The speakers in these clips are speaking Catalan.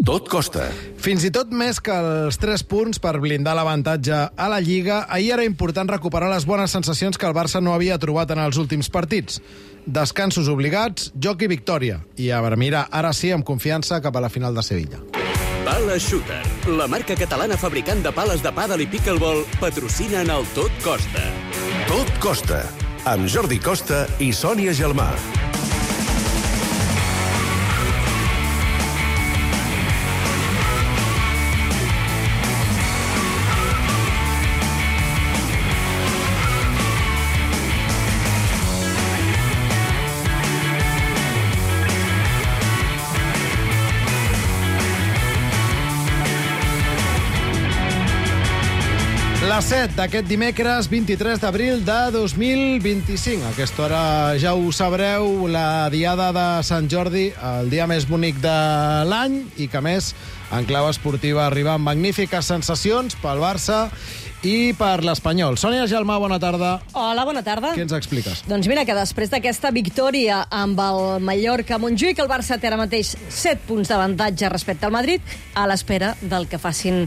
Tot costa. Fins i tot més que els 3 punts per blindar l'avantatge a la Lliga, ahir era important recuperar les bones sensacions que el Barça no havia trobat en els últims partits. Descansos obligats, joc i victòria. I a mirar, ara sí, amb confiança cap a la final de Sevilla. Pala Shooter, la marca catalana fabricant de pales de pàdel i pickleball, patrocinen el Tot Costa. Tot costa. Amb Jordi Costa i Sònia Gelmà. Les 7 d'aquest dimecres 23 d'abril de 2025. A aquesta hora ja ho sabreu, la diada de Sant Jordi, el dia més bonic de l'any i que, a més, en clau esportiva arriba amb magnífiques sensacions pel Barça i per l'Espanyol. Sònia Gelmà, bona tarda. Hola, bona tarda. Què ens expliques? Doncs mira que després d'aquesta victòria amb el Mallorca a Montjuïc, el Barça té ara mateix 7 punts d'avantatge respecte al Madrid, a l'espera del que facin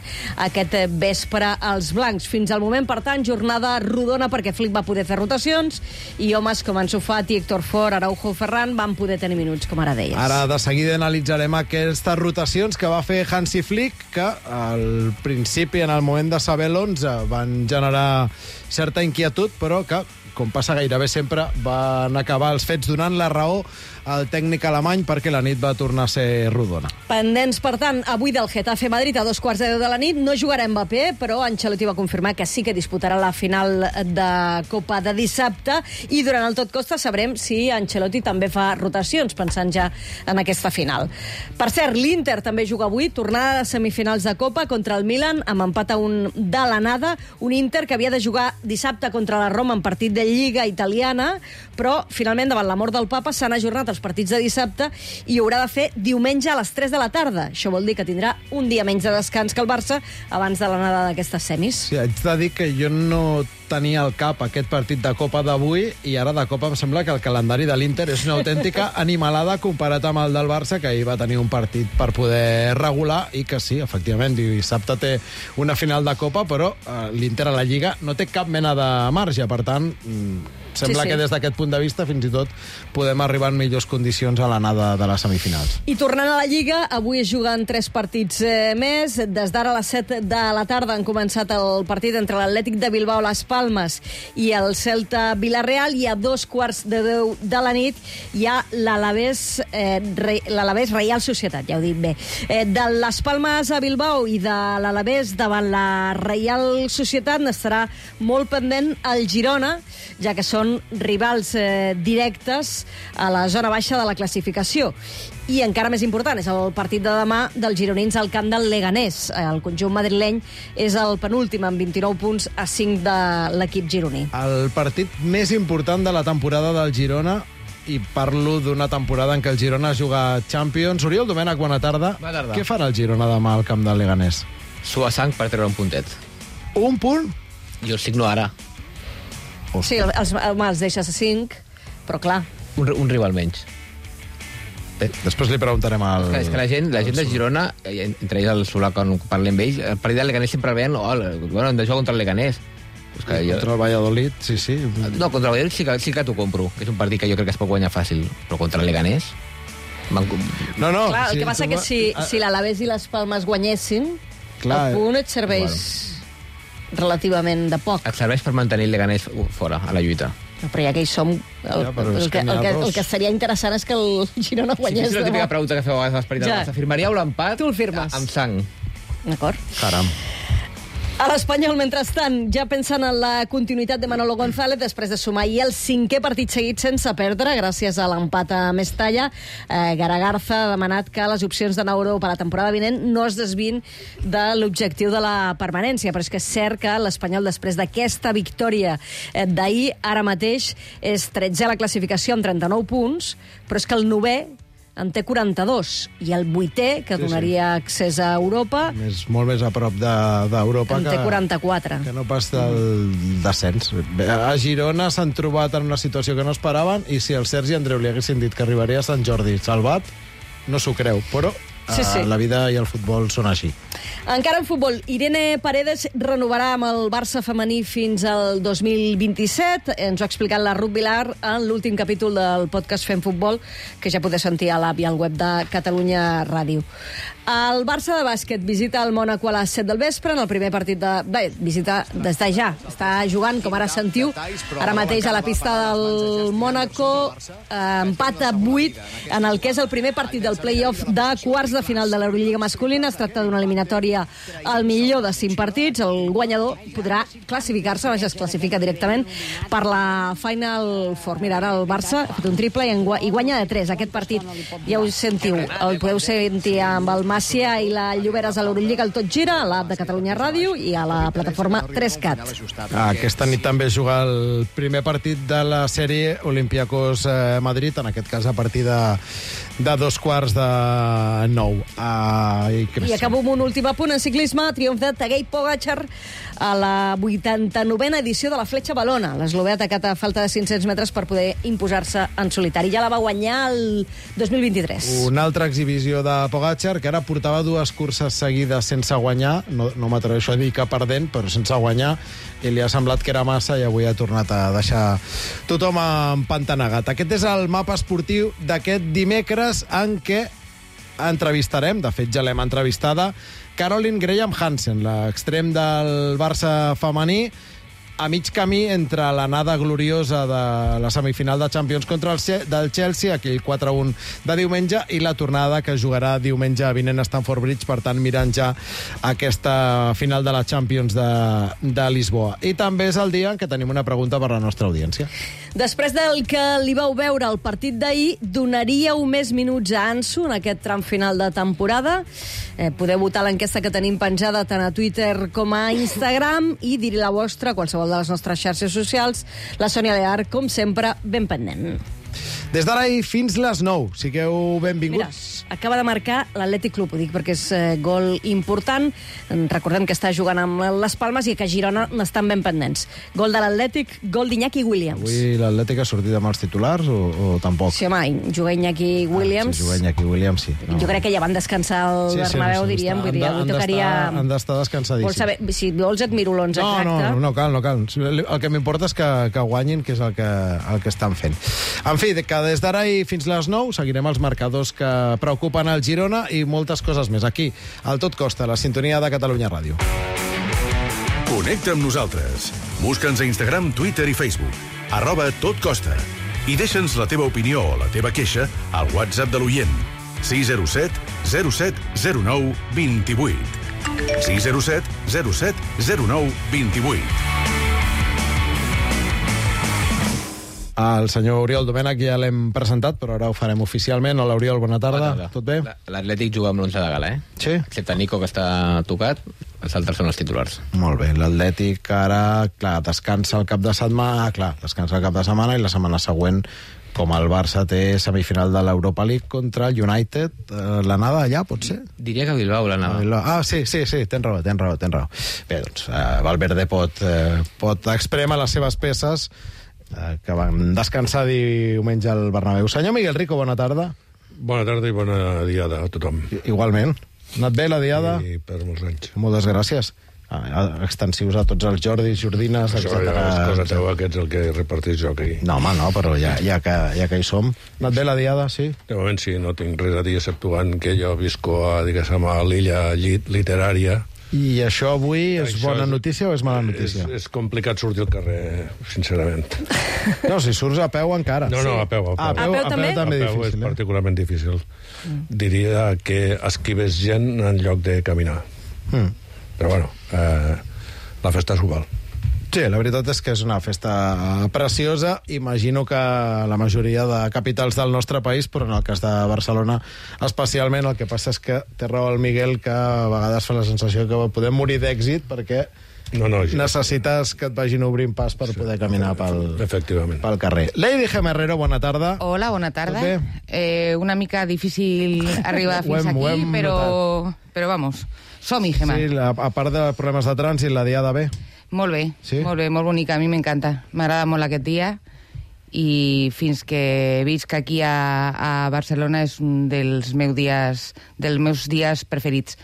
aquest vespre els blancs. Fins al moment, per tant, jornada rodona perquè Flick va poder fer rotacions i homes com Ansu Fati, Héctor Fort, Araujo, Ferran van poder tenir minuts, com ara deies. Ara de seguida analitzarem aquestes rotacions que va fer Hansi Flick, que al principi, en el moment de saber l'11, van generar certa inquietud, però que, com passa gairebé sempre, van acabar els fets donant la raó al tècnic alemany perquè la nit va tornar a ser rodona. Pendents, per tant, avui del Getafe Madrid a 2:15 de la nit. No jugarà Mbappé, però Ancelotti va confirmar que sí que disputarà la final de Copa de dissabte i durant el Tot Costa sabrem si Ancelotti també fa rotacions, pensant ja en aquesta final. Per cert, l'Inter també juga avui, tornada de semifinals de Copa contra el Milan, amb empat a 1 de l'anada. Un Inter que havia de jugar dissabte contra la Roma en partit de Lliga italiana, però finalment, davant la mort del papa, s'han ajornat els partits de dissabte i haurà de fer diumenge a les 3 de la tarda. Això vol dir que tindrà un dia menys de descans que el Barça abans de l'anada d'aquestes semis. Sí, haig de dir que jo no tenia al cap aquest partit de Copa d'avui i ara de Copa em sembla que el calendari de l'Inter és una autèntica animalada comparat amb el del Barça, que ahir va tenir un partit per poder regular i que sí, efectivament, dissabte té una final de Copa, però l'Inter a la Lliga no té cap mena de marge, per tant sembla que des d'aquest punt de vista fins i tot podem arribar en millors condicions a l'anada de les semifinals. I tornant a la Lliga, avui es juguen 3 partits més. Des d'ara a les 7 de la tarda han començat el partit entre l'Atlètic de Bilbao, Las Palmes i el Celta Villarreal, i a 2:15 de la nit hi ha l'Alavés Reial Societat, ja ho dic bé. De Las Palmes a Bilbao i de l'Alavés davant la Reial Societat n'estarà molt pendent el Girona, ja que són rivals directes a la zona baixa de la classificació. I encara més important és el partit de demà dels gironins al camp del Leganés. El conjunt madrileny és el penúltim amb 29 punts a 5 de l'equip gironí. El partit més important de la temporada del Girona, i parlo d'una temporada en què el Girona juga Champions. Oriol Domènech, bona tarda. Bona tarda. Què farà el Girona demà al camp del Leganés? Suar sang per treure un puntet. Un punt? Jo el signo ara. Sí, els deixes a 5, però clar. Un rival menys. Bé, després li preguntarem al... És que la gent de Girona, entre ells el Solà, quan parlem amb ells, el partit del Leganés sempre el veien, bueno, hem de jugar contra el Leganés. Pues que contra el Valladolid, sí. No, contra el Valladolid sí que t'ho compro, que és un partit que jo crec que es pot guanyar fàcil, però contra el Leganés... No. Clar, el que passa que si l'Alavés i les Palmes guanyessin, el punt et serveix relativament de poc. Et serveix per mantenir el Leganés fora, a la lluita. No, però ja que hi som, el que seria interessant és que el Girona guanyés. Sí, és la típica pregunta que feu a vegades a l'Esperit del Barça. Firmaríeu l'empat? Tu el firmes. Amb sang. D'acord. Caram. A l'Espanyol, mentrestant, ja pensant en la continuïtat de Manolo González després de sumar ahir el 5è partit seguit sense perdre, gràcies a l'empat a Mestalla. Garagarza ha demanat que les opcions de Nauro per a la temporada vinent no es desvin de l'objectiu de la permanència, però és que és cert que l'Espanyol, després d'aquesta victòria d'ahir, ara mateix és 13è a la classificació amb 39 punts, però és que el 9è en té 42, i el 8è, que donaria accés a Europa, molt més a prop d'Europa, en té 44. Que no pas del descens. A Girona s'han trobat en una situació que no esperaven, i si el Sergi Andreu li haguessin dit que arribaria a Sant Jordi salvat, no s'ho creu, però Sí, sí. La vida i el futbol són així. Encara en futbol, Irene Paredes renovarà amb el Barça femení fins al 2027. Ens ho ha explicat la Ruth Vilar en l'últim capítol del podcast Fem Futbol, que ja podeu sentir a l'app i al web de Catalunya Ràdio. El Barça de bàsquet visita el Mònaco a les 7 del vespre en el primer partit de... Bé, visita des de ja. Està jugant, com ara sentiu, ara mateix a la pista del Mònaco, empat a 8 en el que és el primer partit del play-off de quarts de final de l'Eurolliga masculina. Es tracta d'una eliminatòria al millor de 5 partits. El guanyador podrà classificar-se, ja es classifica directament, per la Final Four. Mira, ara el Barça ha fet un triple i guanya de 3. Aquest partit, ja ho sentiu, el podeu sentir amb el Màcia i la Lloberes a l'Eurolliga, el Tot Gira, a l'app de Catalunya Ràdio i a la plataforma 3CAT. Aquesta nit també juga el primer partit de la sèrie Olympiacos Madrid, en aquest cas a partir de 8:45. I acabo amb un últim apunt en ciclisme. Triomf de Tadej Pogačar a la 89a edició de la Fletxa Valona. L'eslovè ha atacat a falta de 500 metres per poder imposar-se en solitari. Ja la va guanyar el 2023. Una altra exhibició de Pogačar, que ara portava 2 curses seguides sense guanyar. No m'atreveixo a dir que perdent, però sense guanyar. I li ha semblat que era massa i avui ha tornat a deixar tothom empantanegat. Aquest és el mapa esportiu d'aquest dimecres en què entrevistarem, de fet ja l'hem entrevistada, Caroline Graham Hansen, l'extrem del Barça femení, a mig camí entre l'anada gloriosa de la semifinal de Champions contra del Chelsea, aquell 4-1 de diumenge, i la tornada que jugarà diumenge vinent a Stamford Bridge, per tant mirant ja aquesta final de la Champions de Lisboa. I també és el dia en què tenim una pregunta per a la nostra audiència. Després del que li vau veure al partit d'ahir, donaríeu més minuts a Ansu en aquest tram final de temporada? Podeu votar l'enquesta que tenim penjada tant a Twitter com a Instagram i dir la vostra a qualsevol de les nostres xarxes socials. La Sònia Lear, com sempre, ben pendent. Des d'ara i fins les 9. Sigueu benvinguts. Mira, acaba de marcar l'Atlètic Club, ho dic perquè és gol important. Recordem que està jugant amb les Palmes i que a Girona n'estan ben pendents. Gol de l'Atlètic, gol d'Iñaki Williams. Avui l'Atlètic ha sortit amb els titulars o tampoc? Sí, home, juga Iñaki Williams. Sí, juga Iñaki Williams, sí. Jo crec que ja van descansar al Bernabéu, diríem. Vull dir, avui tocaria... Han d'estar descansadíssims. Vols saber, si vols et miro l'11 exacte. No cal. El que m'importa és que guanyin, que és el que estan fent. En fi, que des d'ara i fins les 9 seguirem els marcadors que preocupen el Girona i moltes coses més aquí, al Tot Costa, la sintonia de Catalunya Ràdio. Connecta amb nosaltres. Busca'ns a Instagram, Twitter i Facebook. @totcosta. I deixa'ns la teva opinió o la teva queixa al WhatsApp de l'oient. 607 07 09 28. 607 07 09 28. El senyor Oriol Domènech ja l'hem presentat, però ara ho farem oficialment. Hola, Oriol, bona tarda. Tot bé? L'Atlètic juga amb l'11 de gala, Sí? Excepte Nico, que està tocat, els altres són els titulars. Molt bé, l'Atlètic ara, clar, descansa el cap de setmana, i la setmana següent, com el Barça té semifinal de l'Europa League contra el United, l'anada allà, pot ser? Diria que Bilbao l'anada. Sí, tens raó. Bé, doncs, Valverde pot exprémer les seves peces, que van descansar diumenge al Bernabéu. Senyor Miguel Rico, bona tarda. Bona tarda i bona diada a tothom. Igualment. Ha anat bé la diada? I per molts anys. Moltes gràcies. Extensius a tots els Jordis, Jordines, etc. Això és cosa teva, que ets el que repartís jo aquí. No, home, no, però ja que hi som. Ha anat bé la diada, sí? De moment sí, no tinc res a dir, exceptuant que jo visco a l'illa literària. I això avui és bona notícia o és mala notícia? És complicat sortir al carrer, sincerament. No, si surts a peu encara. No, a peu. A peu també? A peu és particularment difícil. Diria que esquives gent en lloc de caminar. Però bueno, la festa s'ho val. Sí, la veritat és que és una festa preciosa. Imagino que la majoria de capitals del nostre país, però en el cas de Barcelona especialment, el que passa és que té raó el Miguel, que a vegades fa la sensació que podem morir d'èxit perquè necessites que et vagin obrint pas per poder caminar pel carrer. Lady Gemerrero, bona tarda. Hola, bona tarda. Una mica difícil arribar fins aquí, però vamos, som-hi, Gemma. Sí, a part de problemes de trànsit, la diada bé. Molt bé, molt bonica, a mi m'encanta. M'agrada molt aquest dia i fins que visc aquí a Barcelona és un dels meus dies preferits,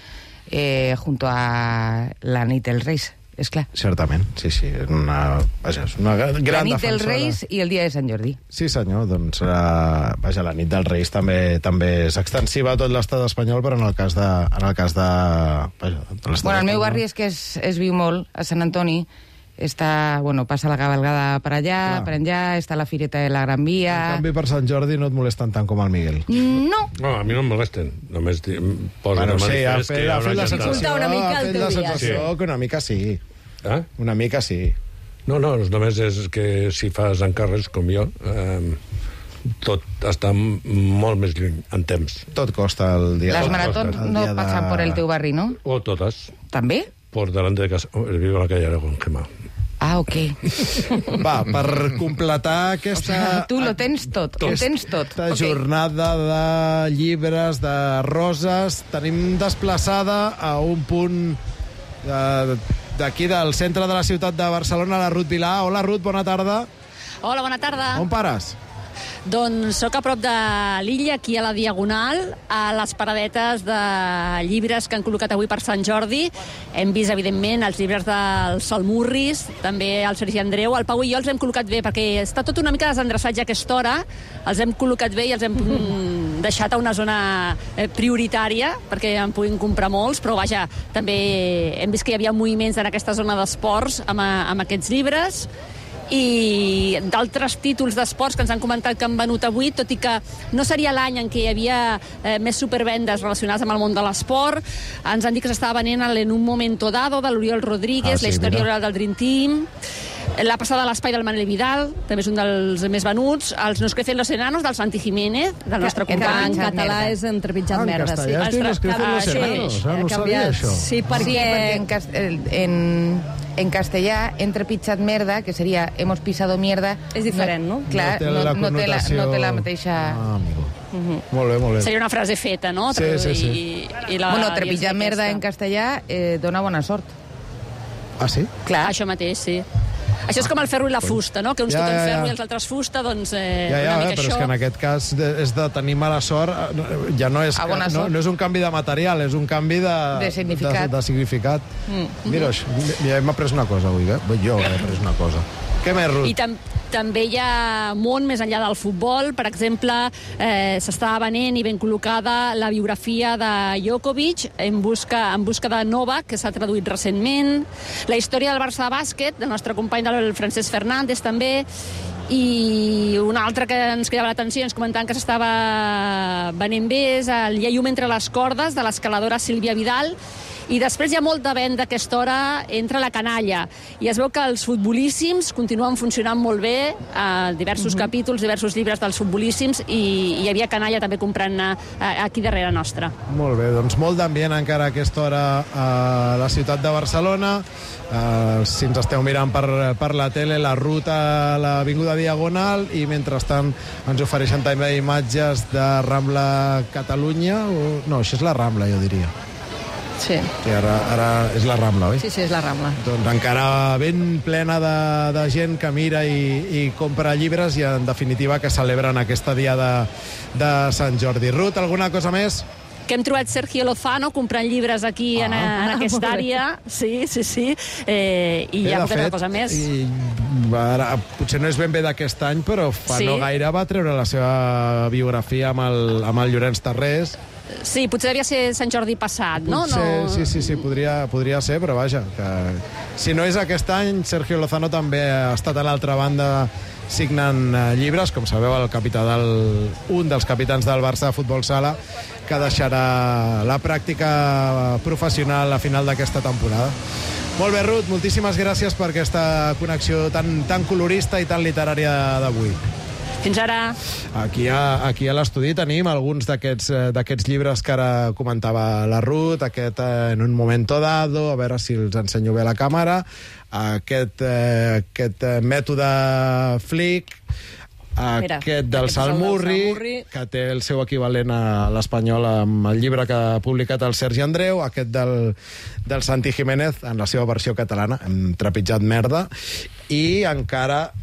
junto a la nit dels Reis, és clar. Certament, sí, és una gran defensora. La nit dels Reis i el dia de Sant Jordi. Sí, senyor, doncs la nit dels Reis també és extensiva a tot l'estat espanyol, però en el cas de l'estat Bueno, al meu barri és que es viu molt, a Sant Antoni, passa la cabalgada per allà, per enllà, està la fireta de la Gran Via... En canvi, per Sant Jordi no et molesten tant com el Miguel. No. No, a mi no em molesten. Només posen Bueno, sí, ha fet la Dificulta una mica el teu dia. sensació que una mica sí. Una mica sí. No, només és que si fas encàrrecs com jo, tot està molt més lluny en temps. Tot costa el dia. Les maratons no passen per el teu barri, no? O totes. També? Por delante de casa. Vivo en la calle Aragón, Gemma. Ah, ok. Va, per completar aquesta... Tu lo tens tot, ho tens tot. Aquesta jornada de llibres, de roses, tenim desplaçada a un punt d'aquí, del centre de la ciutat de Barcelona, la Ruth Vilà. Hola, Ruth, bona tarda. Hola, bona tarda. On pares? Doncs sóc a prop de l'illa, aquí a la Diagonal, a les paradetes de llibres que han col·locat avui per Sant Jordi. Hem vist, evidentment, els llibres del Salmurris, també el Sergi Andreu. El Pau i jo els hem col·locat bé, perquè està tot una mica desendreçat ja a aquesta hora. Els hem col·locat bé i els hem deixat a una zona prioritària, perquè en puguin comprar molts, però vaja, també hem vist que hi havia moviments en aquesta zona d'esports amb aquests llibres, i d'altres títols d'esports que ens han comentat que han venut avui, tot i que no seria l'any en què hi havia més supervendes relacionades amb el món de l'esport. Ens han dit que s'estava venent en Un momento dado, de l'Oriol Rodríguez, la història oral del Dream Team, la passada a l'espai del Manel Vidal, també és un dels més venuts, els Nos crecen los enanos, del Santi Jiménez, del nostre company. En català és Entrepitjat merda. En castellà es diu Nos crecen los enanos, no sabia això. Sí, perquè en castellà, Entrepitjat merda, que seria hemos pisado mierda... És diferent, no? Clar, no té la mateixa... amigo. Molt bé. Seria una frase feta, no? Sí. Bueno, trepitjar merda en castellà dona bona sort. Ah, sí? Clar, això mateix, sí. Això és com el ferro i la fusta, no? Que uns toquen ferro i els altres fusta, doncs una mica però això. És que en aquest cas és de tenir mala sort, ja no és, no és un canvi de material, és un canvi de significat. De significat. Mira, ja hem après una cosa avui, jo he après una cosa. Què més, Ruth? I també hi ha món més enllà del futbol. Per exemple, s'està venent i ben col·locada la biografia de Djokovic, en busca de Novak, que s'ha traduït recentment. La història del Barça de bàsquet, del nostre company del Francesc Fernández, també. I una altra que ens cridava l'atenció, ens comentaven que s'estava venent bé, és el Lleium entre les cordes, de l'escaladora Sílvia Vidal. I després hi ha molta venda a aquesta hora entre la canalla. I es veu que els futbolíssims continuen funcionant molt bé, diversos capítols, diversos llibres dels futbolíssims, i hi havia canalla també comprant aquí darrere nostra. Molt bé, doncs molt d'ambient encara a aquesta hora a la ciutat de Barcelona. Si ens esteu mirant per la tele, la ruta a l'Avinguda Diagonal, i mentrestant ens ofereixen també imatges de Rambla Catalunya. No, això és la Rambla, jo diria. Sí. Que ara és la Rambla, oi? Sí, és la Rambla. Doncs encara ben plena de gent que mira i compra llibres i, en definitiva, que celebren aquesta dia de Sant Jordi. Ruth, alguna cosa més? Que hem trobat Sergio Lozano comprant llibres aquí en aquesta àrea. Sí. I hi ha molta cosa més. Ara, potser no és ben bé d'aquest any, però no gaire va treure la seva biografia amb el Llorenç Tarrés. Sí, potser devia ser Sant Jordi passat, no? Sí, podria ser, però vaja, que si no és aquest any, Sergio Lozano també ha estat a l'altra banda signant llibres, com sabeu, un dels capitans del Barça de Futbol Sala, que deixarà la pràctica professional a final d'aquesta temporada. Molt bé, Ruth, moltíssimes gràcies per aquesta connexió tan colorista i tan literària d'avui. Fins ara. Aquí a l'estudi tenim alguns d'aquests llibres que ara comentava la Ruth, aquest En un momento dado, a veure si els ensenyo bé a la càmera, aquest mètode Flick, aquest del Salmurri, que té el seu equivalent a l'espanyol amb el llibre que ha publicat el Sergi Andreu, aquest del Santi Jiménez, en la seva versió catalana, hem trepitjat merda, i encara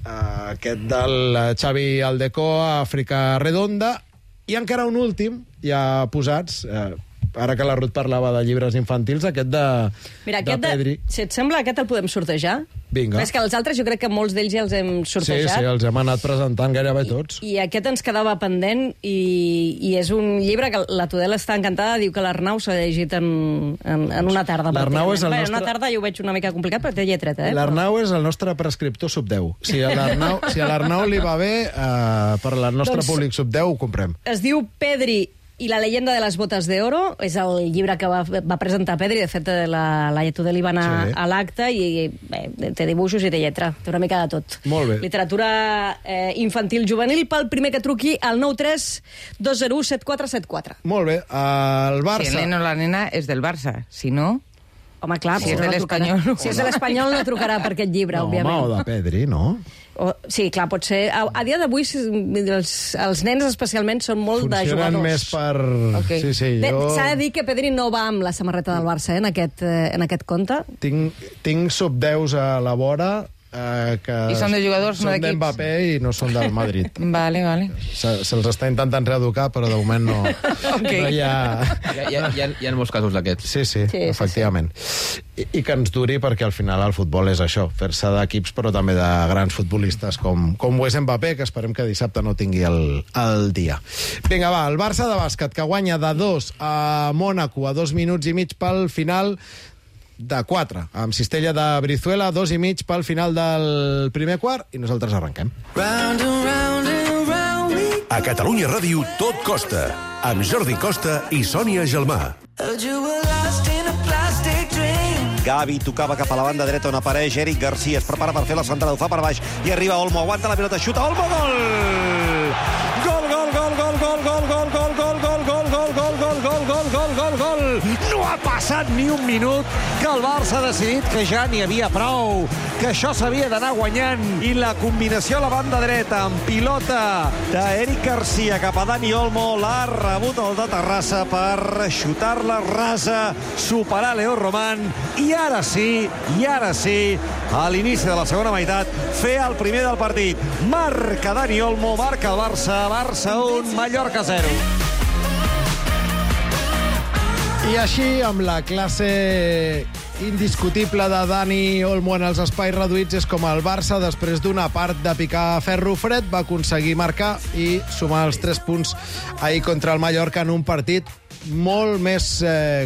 aquest del Xavi Aldecoa, Àfrica Redonda, i encara un últim, ja posats... Ara que la Ruth parlava de llibres infantils, aquest de Pedri. Si et sembla, aquest el podem sortejar? Vinga. És que els altres jo crec que molts d'ells ja els hem sortejat. Sí, els hem anat presentant gairebé tots. I aquest ens quedava pendent i és un llibre que la Tudela està encantada, diu que l'Arnau s'ha llegit en una tarda. L'Arnau és el nostre... En una tarda jo ho veig una mica complicat, però té lletreta, L'Arnau és el nostre prescriptor sub 10. Si a l'Arnau li va bé, per al nostre públic sub 10 ho comprem. Es diu Pedri i la leyenda de les botes de oro, és el llibre que va presentar Pedri, de fet la Tudela va anar a l'acte i té dibuixos i té lletra, té una mica de tot. Molt bé. Literatura infantil juvenil, pel primer que truqui al 932017474. Molt bé, el Barça... Si el neno o la nena és del Barça, si no... Home, clar, si és de l'Espanyol... Si és de l'Espanyol no trucarà per aquest llibre, òbviament. Home, o de Pedri, no? Sí, clar, pot ser. A dia d'avui els nens especialment són molt de jugadors. Funcionen més per... Okay. Sí, s'ha de dir que Pedri no va amb la samarreta del Barça en aquest conte. Tinc sub-10s a la vora que I són de jugadors, no d'equips. Són d'Mbappé i no són del Madrid. Vale. Se'ls està intentant reeducar, però de moment no, no hi ha... Hi ha molts casos d'aquests. Sí, efectivament. I que ens duri, perquè al final el futbol és això, fer-se d'equips, però també de grans futbolistes, com ho és Mbappé, que esperem que dissabte no tingui el dia. Vinga, va, el Barça de bàsquet, que guanya de 2 a Mònaco a 2 minuts i mig pel final de 4, amb cistella de Brizuela, 2 i mig pel final del primer quart, i nosaltres arrenquem. A Catalunya Ràdio tot costa, amb Jordi Costa i Sònia Gelmà. Gavi tocava cap a la banda dreta on apareix Eric Garcia, es prepara per fer la centrada, ho fa per baix i arriba Olmo, aguanta la pilota, xuta Olmo, gol! Gol! No ha passat ni un minut que el Barça ha decidit que ja n'hi havia prou, que això s'havia d'anar guanyant, i la combinació a la banda dreta amb pilota d'Eric Garcia cap a Dani Olmo, l'ha rebut el de Terrassa per xutar-la rasa, superar Leo Román, i ara sí, a l'inici de la segona meitat, fer el primer del partit. Marca Dani Olmo, marca el Barça 1, Mallorca 0. I així, amb la classe indiscutible de Dani Olmo en els espais reduïts, és com el Barça, després d'una part de picar ferro fred, va aconseguir marcar i sumar els 3 punts ahir contra el Mallorca en un partit molt més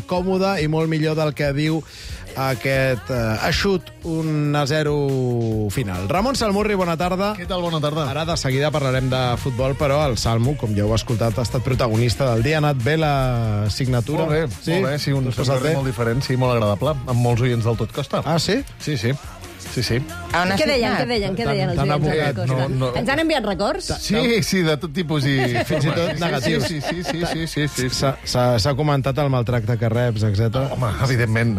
còmode i molt millor del que diu aquest eixut 1-0 final. Ramon Salmurri, bona tarda. Què tal, bona tarda? Ara de seguida parlarem de futbol, però el Salmo, com ja heu escoltat, ha estat protagonista del dia. Ha anat bé la signatura? Molt bé, sí, un servei molt diferent, sí, molt agradable, amb molts oients del Tot Costa. Ah, sí? Sí. Què deien els oients del Costa? Ens han enviat records? Sí, de tot tipus i... Fins i tot negatius. Sí. S'ha comentat el maltracte que reps, etc. Home, evidentment,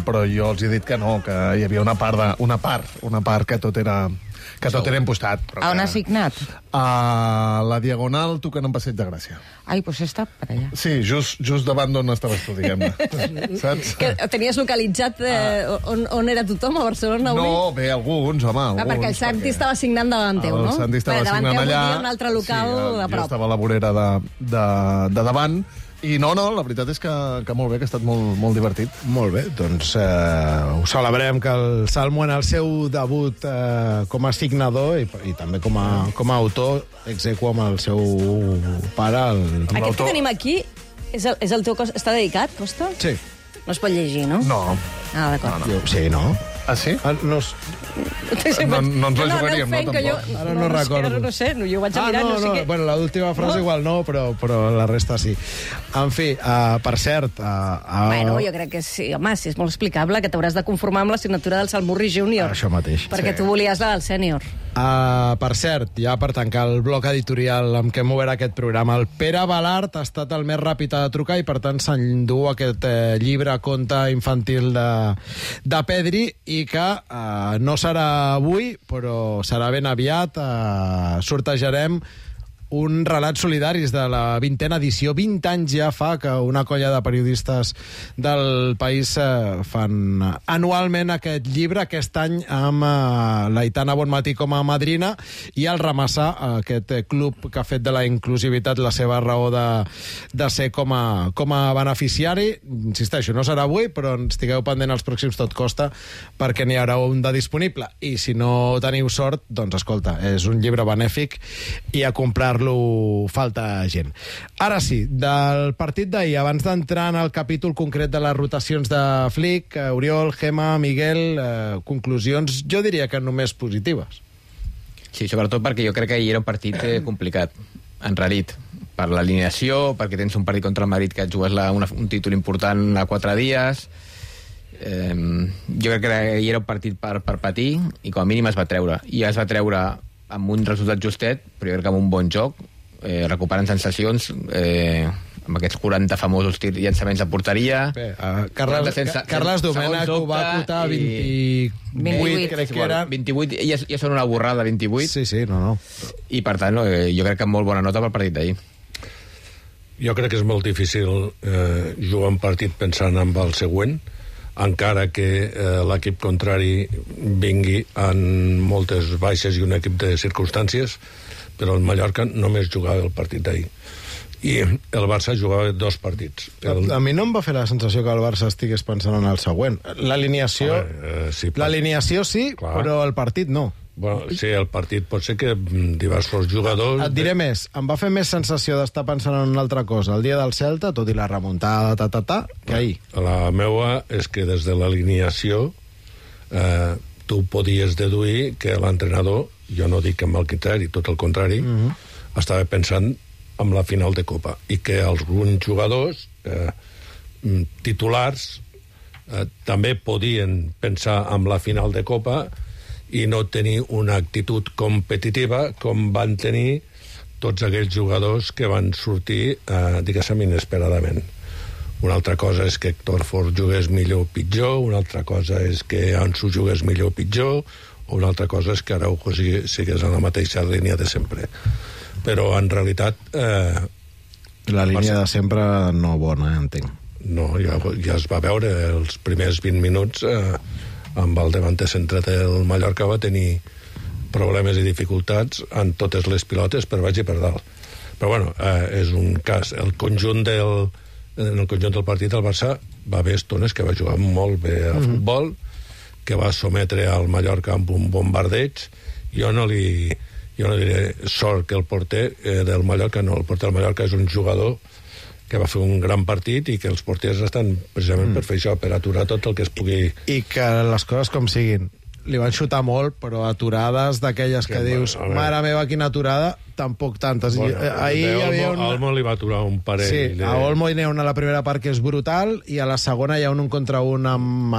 però jo els he dit que no, que hi havia una part que tot era impostat. On has signat? A la Diagonal, tocant en Passeig de Gràcia. Ai, doncs està per allà. Sí, just davant d'on estaves tu, diguem-ne. Saps? Que tenies localitzat on era tothom a Barcelona avui? No, bé, alguns, home. Perquè el Santi estava signant davant teu, no? El Santi estava signant allà. Davant teu un altre local de prop. Jo estava a la vorera de davant. I no, la veritat és que molt bé, que ha estat molt divertit. Molt bé, doncs ho celebrem, que el Salmo en el seu debut com a signador i també com a autor execu amb el seu pare. Aquest que tenim aquí és el teu Costa? Està dedicat, Costa? Sí. No es pot llegir, no? No. Ah, d'acord. Sí, no? Ah, sí? No ens la jugaríem, no, tampoc. Ara no recordo. No sé, jo ho vaig a mirar. No. Bueno, l'última frase igual no, però la resta sí. En fi, per cert... Bueno, jo crec que sí. Home, sí, és molt explicable que t'hauràs de conformar amb la signatura del Salmurri Júnior. Això mateix. Perquè tu volies la del sènior. Per cert, ja per tancar el bloc editorial amb què hem obert aquest programa, el Pere Balart ha estat el més ràpid a trucar i per tant s'endú aquest llibre conte infantil de Pedri, i que no serà avui, però serà ben aviat. Sortejarem un relat solidaris de la 20a edició. 20 anys ja fa que una colla de periodistes del país fan anualment aquest llibre, aquest any amb l'Aitana Bonmatí com a madrina i el Ramassà, aquest club que ha fet de la inclusivitat la seva raó de ser com a beneficiari. Insisteixo, no serà avui, però estigueu pendent els pròxims Tot Costa perquè n'hi haurà un de disponible. I si no teniu sort, doncs escolta, és un llibre benèfic i a comprar-lo falta gent. Ara sí, del partit d'ahir, abans d'entrar en el capítol concret de les rotacions de Flick, Oriol, Gemma, Miguel, conclusions, jo diria que només positives. Sí, sobretot perquè jo crec que ahir era un partit complicat, enrarit, per l'alineació, perquè tens un partit contra el Madrid que et jugues un títol important a 4 dies. Jo crec que ahir era un partit per patir i com a mínim es va treure. I es va treure amb un resultat justet, però jo crec que amb un bon joc, recuperant sensacions, amb aquests 40 famosos llançaments a porteria. Carles Domènech ho va acotar 28, crec que era. 28, ja són una borrada, 28. Sí, no. I per tant, jo crec que amb molt bona nota pel partit d'ahir. Jo crec que és molt difícil jugar un partit pensant en el següent, encara que l'equip contrari vingui en moltes baixes i un equip de circumstàncies, però el Mallorca només jugava el partit d'ahir. I el Barça jugava 2 partits. A mi no em va fer la sensació que el Barça estigués pensant en el següent. L'alineació sí, clar. Però el partit no. Bueno, sí, el partit pot ser que diversos jugadors... Et diré més, em va fer més sensació d'estar pensant en una altra cosa el dia del Celta, tot i la remuntada, que ahir. La meua és que des de l'alineació tu podies deduir que l'entrenador, jo no dic amb el criteri, tot el contrari, estava pensant en la final de Copa, i que alguns jugadors titulars també podien pensar en la final de Copa i no tenir una actitud competitiva com van tenir tots aquells jugadors que van sortir, diguéssim, inesperadament. Una altra cosa és que Héctor Fort jugués millor o pitjor, una altra cosa és que Ansu jugués millor o pitjor, o una altra cosa és que Araujo sigués en la mateixa línia de sempre. Però, en realitat... la línia de sempre no bona, entenc. No, ja es va veure els primers 20 minuts... amb el davanter centre del Mallorca va tenir problemes i dificultats en totes les pilotes per baix i per dalt. Però bueno, és un cas. En el conjunt del partit el Barça va haver estones que va jugar molt bé a futbol, que va sometre al Mallorca amb un bombardeig. Jo no diré sort que el porter del Mallorca, no, el porter del Mallorca és un jugador que va fer un gran partit i que els porters estan precisament per fer això, per aturar tot el que es pugui... I que les coses com siguin. Li van xutar molt, però aturades d'aquelles que dius, mare meva, quina aturada, tampoc tantes. Bueno, ahir hi havia una... Olmo li va aturar un parell. Sí, a Olmo hi ha una a la primera part que és brutal i a la segona hi ha un contra un amb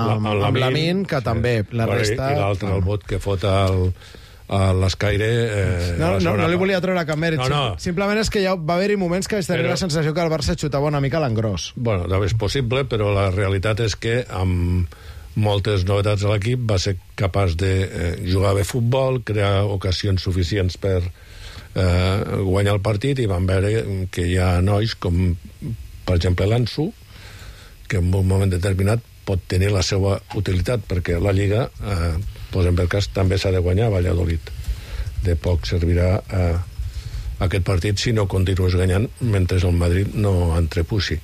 Lamin, que també. La resta... I l'altre, el bot que fot a l'Escaire... No li volia treure cap mèrit. No. Simplement és que ja va haver-hi moments que vaig tenir la sensació que el Barça xutava una mica a l'engròs. Bueno, és possible, però la realitat és que amb moltes novetats a l'equip va ser capaç de jugar bé futbol, crear ocasions suficients per guanyar el partit, i van veure que hi ha nois com, per exemple, l'Ansu, que en un moment determinat pot tenir la seva utilitat, perquè la Lliga... posem per cas, també s'ha de guanyar a Valladolid. De poc servirà aquest partit si no continues guanyant mentre el Madrid no entrepuixi.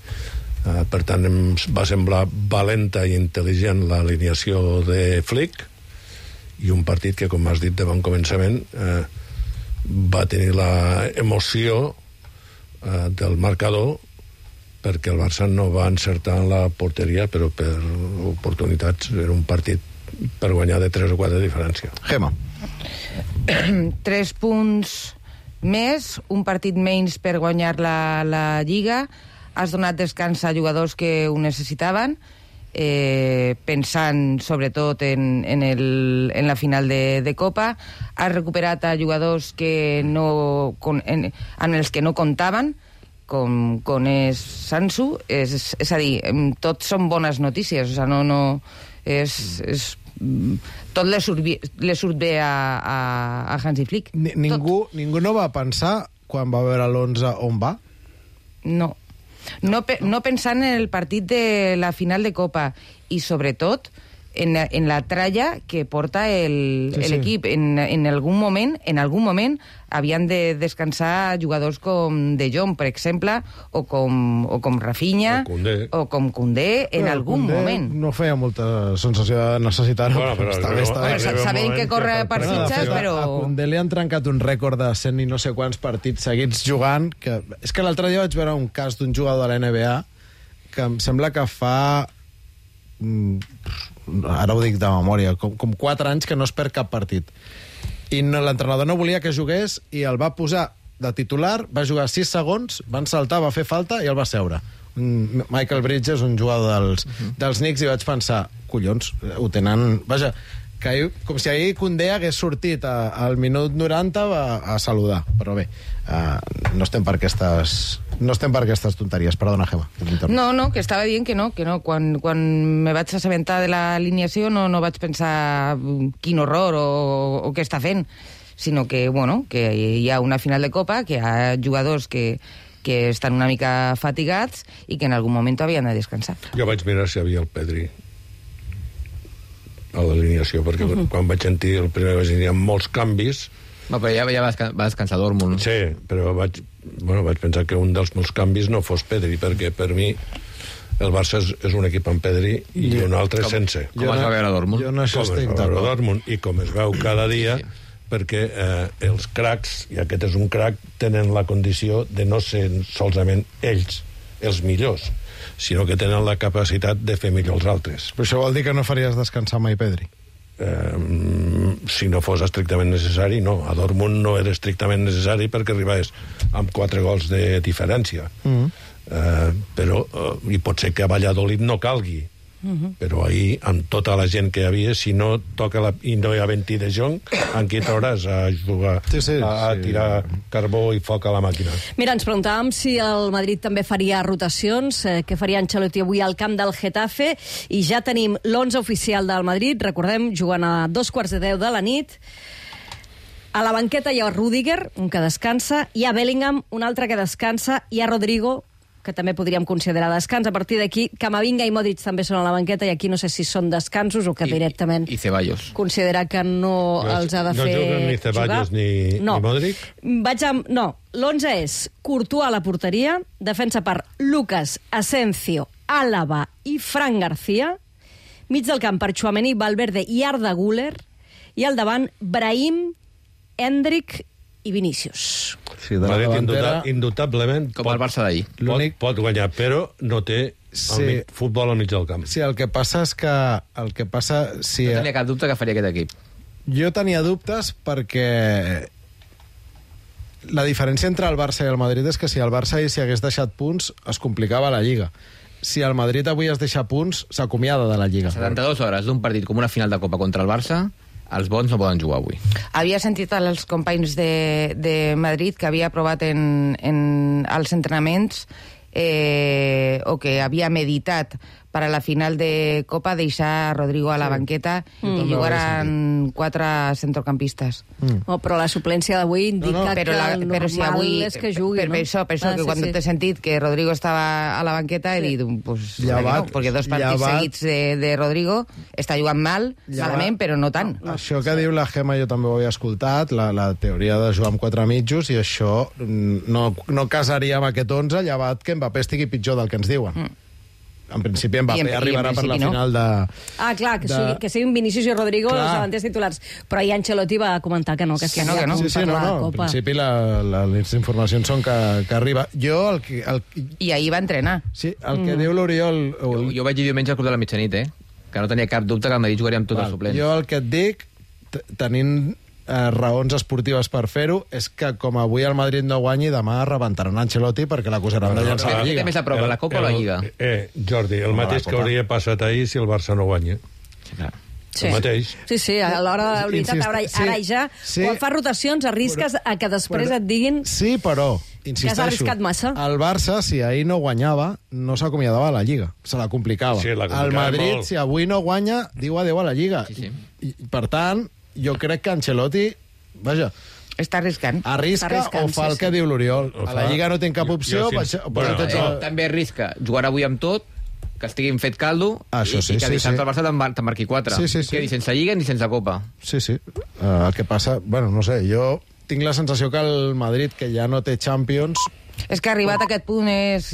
Per tant, em va semblar valenta i intel·ligent l'alineació de Flick, i un partit que, com has dit de bon començament, va tenir l'emoció del marcador, perquè el Barça no va encertar en la porteria, però per oportunitats era un partit per guanyar de 3 o 4 de diferència. Gemma. 3 punts més, un partit menys per guanyar la Lliga. Has donat descans a jugadors que ho necessitaven, pensant sobretot en la final de Copa. Has recuperat a jugadors que en els que no comptaven, com és Sansu. És a dir, tots són bones notícies. O sigui, és tot li surt bé a Hansi Flick. Ningú no va pensar, quan va veure l'11, on va? No pensant en el partit de la final de Copa i, sobretot, en la tralla que porta l'equip. En algun moment havien de descansar jugadors com De Jong, per exemple, o com Rafinha, o com Koundé, en algun moment. No feia molta sensació de necessitar-ho. Sabent que corre per fitxes, però... A Koundé li han trencat un rècord de 100 i no sé quants partits seguits jugant. És que l'altre dia vaig veure un cas d'un jugador de la NBA que em sembla que fa... ara ho dic de memòria, com 4 anys que no es perd cap partit. I l'entrenador no volia que jugués i el va posar de titular, va jugar 6 segons, van saltar, va fer falta i el va seure. Michael Bridges, un jugador dels Knicks, i vaig pensar, collons, ho tenen... Vaja, que com si ahir Koundé hagués sortit al minut 90 a saludar. Però bé, no estem per aquestes tonteries. Perdona, Gemma. No, que estava dient que no. Quan me vaig assabentar de l'alineació no vaig pensar quin horror o què està fent, sinó que hi ha una final de Copa, que hi ha jugadors que estan una mica fatigats i que en algun moment havien de descansar. Jo vaig mirar si hi havia el Pedri a l'alineació, perquè quan vaig sentir el primer vaig dir molts canvis. Però ja va descansar Dortmund. Sí, però vaig pensar que un dels molts canvis no fos Pedri, perquè per mi el Barça és un equip amb Pedri i un altre sense. Com es va veure Dortmund? Jo no estic d'acord. I com es veu cada dia, perquè els cracs, i aquest és un crac, tenen la condició de no ser solament ells els millors, sinó que tenen la capacitat de fer millor els altres. Però això vol dir que no faries descansar mai Pedri? Si no fos estrictament necessari, no. A Dortmund no era estrictament necessari perquè arribaves amb 4 gols de diferència. Però i pot ser que a Valladolid no calgui. Però ahir, amb tota la gent que hi havia, si no toca i no hi ha 20 de Jong, en qui t'hauràs a jugar, a tirar carbó i foc a la màquina. Mira, ens preguntàvem si el Madrid també faria rotacions, què faria Ancelotti avui al camp del Getafe, i ja tenim l'11 oficial del Madrid, recordem, jugant a 2:10 de la nit. A la banqueta hi ha Rüdiger, un que descansa, hi ha Bellingham, un altre que descansa, hi ha Rodrigo, que també podríem considerar descans. A partir d'aquí, Camavinga i Modric també són a la banqueta, i aquí no sé si són descansos o que directament... I Ceballos. Considera que no els ha de fer jugar. No juguen ni Ceballos ni Modric? No, l'11 és Courtois a la porteria, defensa per Lucas, Asensio, Álava i Fran García, mig del camp per Tchouaméni, Valverde i Arda Güler, i al davant Brahim, Endrick i Vinícius. Sí, de la davantera... Indubtablement com el Barça d'ahir. Pot guanyar, però no té futbol al mig del camp. Sí, el que passa és que... No tenia cap dubte que faria aquest equip. Jo tenia dubtes perquè la diferència entre el Barça i el Madrid és que si el Barça s'hi hagués deixat punts es complicava la Lliga. Si el Madrid avui es deixa punts, s'acomiada de la Lliga. 72 hores d'un partit com una final de Copa contra el Barça, els bons no poden jugar avui. Havia sentit als companys de Madrid que havia provat als entrenaments o que havia meditat per a la final de Copa deixar Rodrigo a la banqueta i jugaran 4 centrocampistes. Però la suplència d'avui indica que el normal és que jugui, no? Per això que quan t'he sentit que Rodrigo estava a la banqueta he dit, pues, perquè 2 partits seguits de Rodrigo està jugant malament, però no tant. Això que diu la Gemma jo també ho havia escoltat, la teoria de jugar amb 4 mitjos, i això no casaria amb aquest 11, llevat que Mbappé estigui pitjor del que ens diuen. En principi Mbappé arribarà per la final de... clar, que siguin Vinícius i Rodrigo els davanters titulars. Però ahir Ancelotti va comentar que no, que no. En principi les informacions són que arriba. I ahir va entrenar. Sí, el que diu l'Oriol... Jo vaig dir diumenge al Club de la Mitjanit, que no tenia cap dubte que el Madrid jugaria amb tots els suplents. Jo el que et dic, tenint raons esportives per fer-ho, és que com avui el Madrid no guanyi, demà rebentaran Ancelotti perquè l'acusaran de llançar la Lliga. Què més a prop, la Copa o la Lliga? Jordi, el mateix que hauria passat ahir si el Barça no guanya. El mateix. Sí, a l'hora de la veritat, ara ja, quan fas rotacions, arrisques a que després et diguin... Sí, però insisteixo, Que has arriscat massa. el Barça, si ahir no guanyava, no s'acomiadava a la Lliga. Se la complicava. Sí, la complicava el Madrid, molt. si avui no guanya, diu adéu a la Lliga. Sí. I, per tant, jo crec que Ancelotti, vaja, Està arriscant. arrisca Està arriscant, o fa el sí, que diu l'Oriol. Ho A la fa. Lliga no tinc cap Jo opció. sí. Bueno, També arrisca jugar avui amb tot, que estiguin fet caldo, Això sí, i que sí, dissabte sí. el Barça te'n marqui 4. Sí, sí, sí. Que ni sense Lliga ni sense Copa. Sí, sí. El que passa... Bueno, no sé, jo tinc la sensació que el Madrid, que ja no té Champions... És que arribat a aquest punt és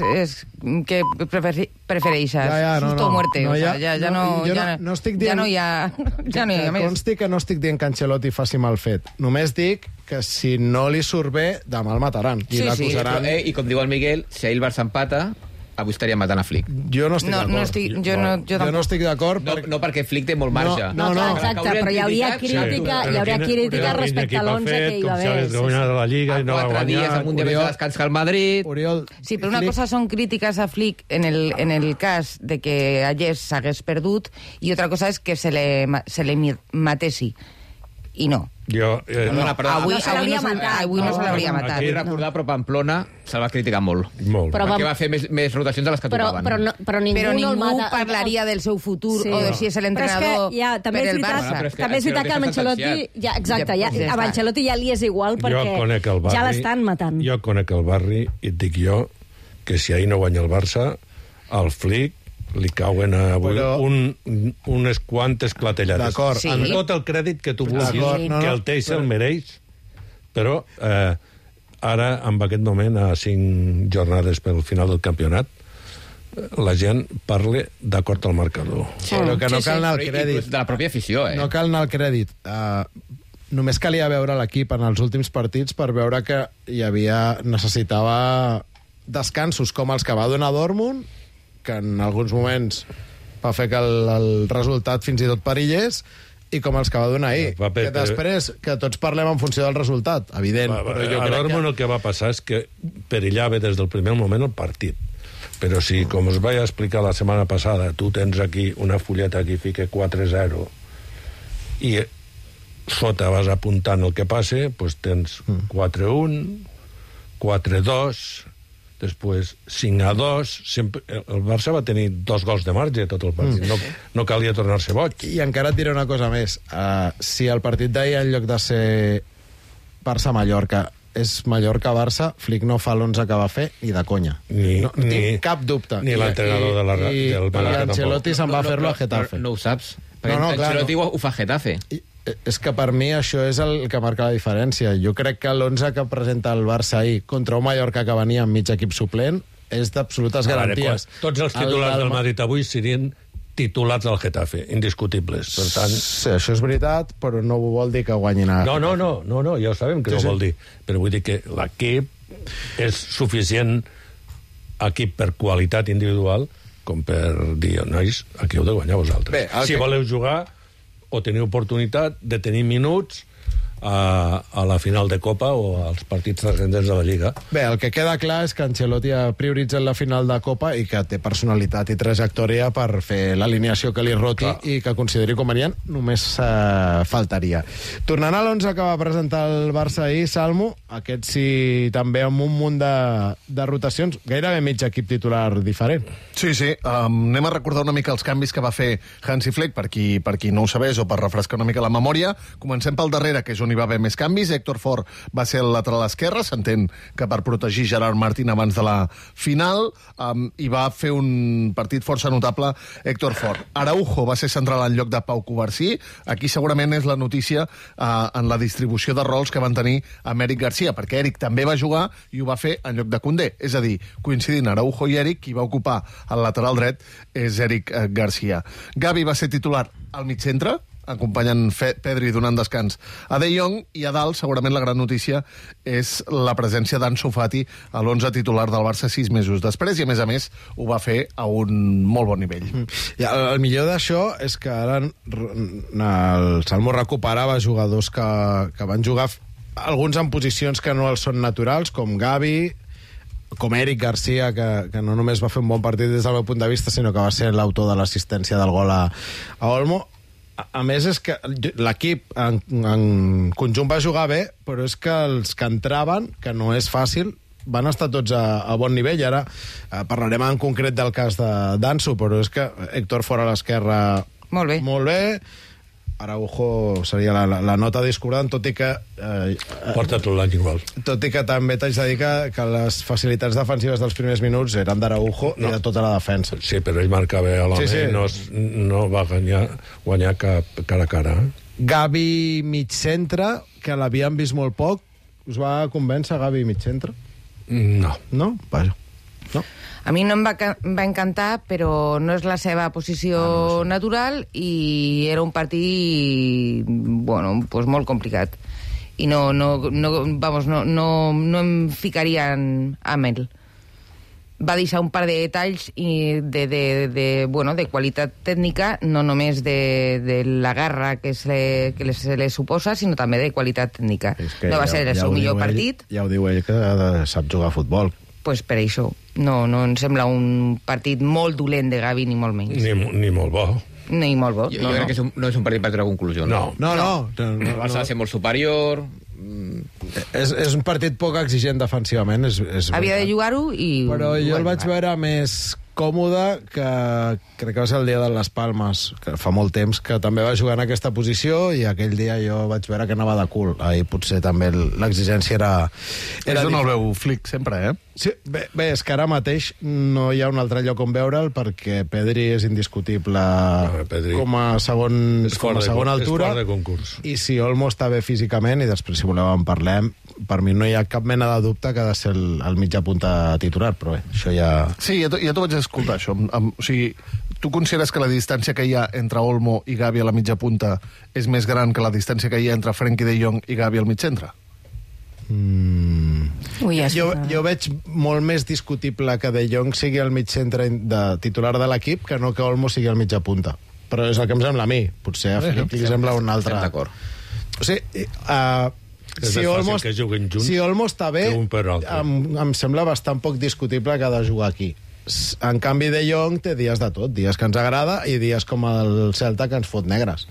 que prefereix susto o muerte. No, O sea, ja no... jo ja no estic dient... Ja no hi ha... Ja no hi ha més. Consti que no estic dient que Ancelotti faci mal fet. Només dic que si no li surt bé, demà el mataran. I Sí, l'acusaran. I com diu el Miguel, si ahir el Barça empata, avui estaria matant a Flick. Jo no estic No, d'acord. no estic... Jo no estic d'acord. No perquè Flick té molt marge. No, Exacte, però hi hauria crítica, respecte a l'11 que hi va haver. Com s'ha guanyat la Lliga i no va 4 dies guanyar. amb un dia més de descans que el Madrid. Oriol, Sí, però una cosa són crítiques a Flick en el cas de que Allés s'hagués perdut i otra cosa és que se le matessi. I no. Jo, Perdona, però Avui No se l'hauria no matat. avui no se l'hauria No, matat. aquí vull recordar, però Pamplona se'l va criticar molt. molt. Però Perquè va fer més rotacions de les que tocaven. Però ningú, Però no el ningú mata. parlaria del seu futur Sí. o de si és l'entrenador Però és que, ja, també per és el veritat, Barça. però és que també és veritat que amb Ancelotti Ancelotti... està Ja, exacte, Ja amb està. Ancelotti ja li és igual Jo perquè conec el barri, ja l'estan matant. Jo conec el barri i et dic jo que si ahir no guanya el Barça, al Flick li cauen avui Però- unes quantes clatellades. D'acord. Sí. Amb tot el crèdit que tu vulguis, D'acord, no, que no, el Teix el mereix, però ara, en aquest moment, a 5 jornades pel final del campionat, la gent parla d'acord al marcador. Però que no cal anar al Però crèdit. inclús de la pròpia afició, No cal anar al crèdit. Només calia veure l'equip en els últims partits per veure que necessitava descansos com els que va donar Dortmund, que en alguns moments va fer que el resultat fins i tot perillés, i com els que va donar ahir. Que després, que tots parlem en funció del resultat, evident. Però jo a crec Dortmund el que va passar és que perillava des del primer moment el partit. Però si, com us vaig explicar la setmana passada, tu tens aquí una fulleta que fica 4-0 i sota vas apuntant el que passa, doncs tens 4-1, 4-2, després 5-2... Sempre, el Barça va tenir 2 gols de marge tot el partit. No calia tornar-se boig. I encara et diré una cosa més. Si el partit d'ahir, en lloc de ser Barça-Mallorca, és Mallorca-Barça, Flick no fa l'11 que va fer ni de conya. No tinc cap dubte. Ni l'entrenador del Mallorca tampoc. Ancelotti se'n va fer-lo a Getafe. No ho saps. Perquè No, clar, Ancelotti ho fa a Getafe. És que per mi això és el que marca la diferència. Jo crec que l'11 que presenta el Barça ahir contra un Mallorca que venia amb mig equip suplent és d'absolutes garanties. Tots els titulars del Madrid avui serien titulats al Getafe, indiscutibles. Per tant... Sí, això és veritat, però no vol dir que guanyin a... No, ja ho sabem que no vol dir. Però vull dir que l'equip és suficient equip per qualitat individual com per dir, nois, aquí heu de guanyar vosaltres. Bé, si voleu jugar o tenir oportunitat de tenir minuts a la final de Copa o als partits transcendents de la Lliga. Bé, el que queda clar és que Ancelotti ha prioritzat la final de Copa i que té personalitat i trajectòria per fer l'alineació que li roti i que consideri convenient, només faltaria. Tornant a l'11 que va presentar el Barça ahir, Salmo, aquest sí també amb un munt de rotacions, gairebé mig equip titular diferent. Sí. Anem a recordar una mica els canvis que va fer Hansi Flick, per qui no ho sabés o per refrescar una mica la memòria. Comencem pel darrere, que és on hi va haver més canvis. Héctor Fort va ser el lateral esquerre, s'entén que per protegir Gerard Martín abans de la final, i va fer un partit força notable Héctor Fort. Araujo va ser central en lloc de Pau Covarsí. Aquí segurament és la notícia en la distribució de rols que van tenir amb Eric Garcia, perquè Eric també va jugar i ho va fer en lloc de Koundé. És a dir, coincidint Araujo i Eric, qui va ocupar el lateral dret és Eric Garcia. Gavi va ser titular al mig centre, acompanyant Pedri donant descans a De Jong, i a dalt segurament la gran notícia és la presència d'Ansu Fati a l'11 titular del Barça 6 mesos després, i a més ho va fer a un molt bon nivell. I el millor d'això és que ara el Salmo recuperava jugadors que van jugar alguns en posicions que no els són naturals, com Gavi, com Eric Garcia, que no només va fer un bon partit des del meu punt de vista, sinó que va ser l'autor de l'assistència del gol a Olmo. A més, és que l'equip en conjunt va jugar bé, però és que els que entraven, que no és fàcil, van estar tots a bon nivell. Ara parlarem en concret del cas d'Ansu, però és que Héctor fora a l'esquerra molt bé. Araujo seria la nota discordant, tot i que... Porta tot l'any igual. Tot i que també t'haig de dir que les facilitats defensives dels primers minuts eren d'Araujo i de tota la defensa. Sí, però ell marcava a l'home, no va guanyar cap cara a cara. Gavi mig centre, que l'havíem vist molt poc. Us va convèncer Gavi mig centre? No. No? Vaja. No? A mi no em va encantar, però no és la seva posició natural i era un partit pues molt complicat. I no em ficaria amb ell. Va deixar un par de detalls de qualitat tècnica, no només de la guerra que se li suposa, sinó també de qualitat tècnica. No va ser el seu millor partit. Ja ho diu ell, que sap jugar a futbol. Pues per això. No em sembla un partit molt dolent de Gavi, ni molt menys. Ni molt bo. Ni molt bo. Jo crec que no és un partit per treure conclusió. No. El Barça ha de ser molt superior. És un partit poc exigent defensivament. Havia de jugar-ho i... Però jo el vaig veure més còmode, que crec que va ser el dia de les Palmes, que fa molt temps, que també va jugar en aquesta posició, i aquell dia jo vaig veure que anava de cul. Ahir potser també l'exigència era és on el veu Flick, sempre, Sí, bé, és que ara mateix no hi ha un altre lloc on veure'l, perquè Pedri és indiscutible com a segona altura, és fora de concurs. I si Olmo està bé físicament, i després si voleu en parlem, per mi no hi ha cap mena de dubte que ha de ser el mitjà punta titular, però bé, això ja... Sí, ja t'ho vaig escoltar, això. O sigui, tu consideres que la distància que hi ha entre Olmo i Gavi a la mitja punta és més gran que la distància que hi ha entre Frenkie de Jong i Gavi al mig centre? Jo veig molt més discutible que De Jong sigui el mig centre de titular de l'equip que no que Olmo sigui el mitja punta. Però és el que em sembla a mi. Potser a Flick li sembla un altre. Estem d'acord. O sigui, si Olmo està bé, em sembla bastant poc discutible que ha de jugar aquí. En canvi, De Jong té dies de tot, dies que ens agrada i dies com el Celta que ens fot negres.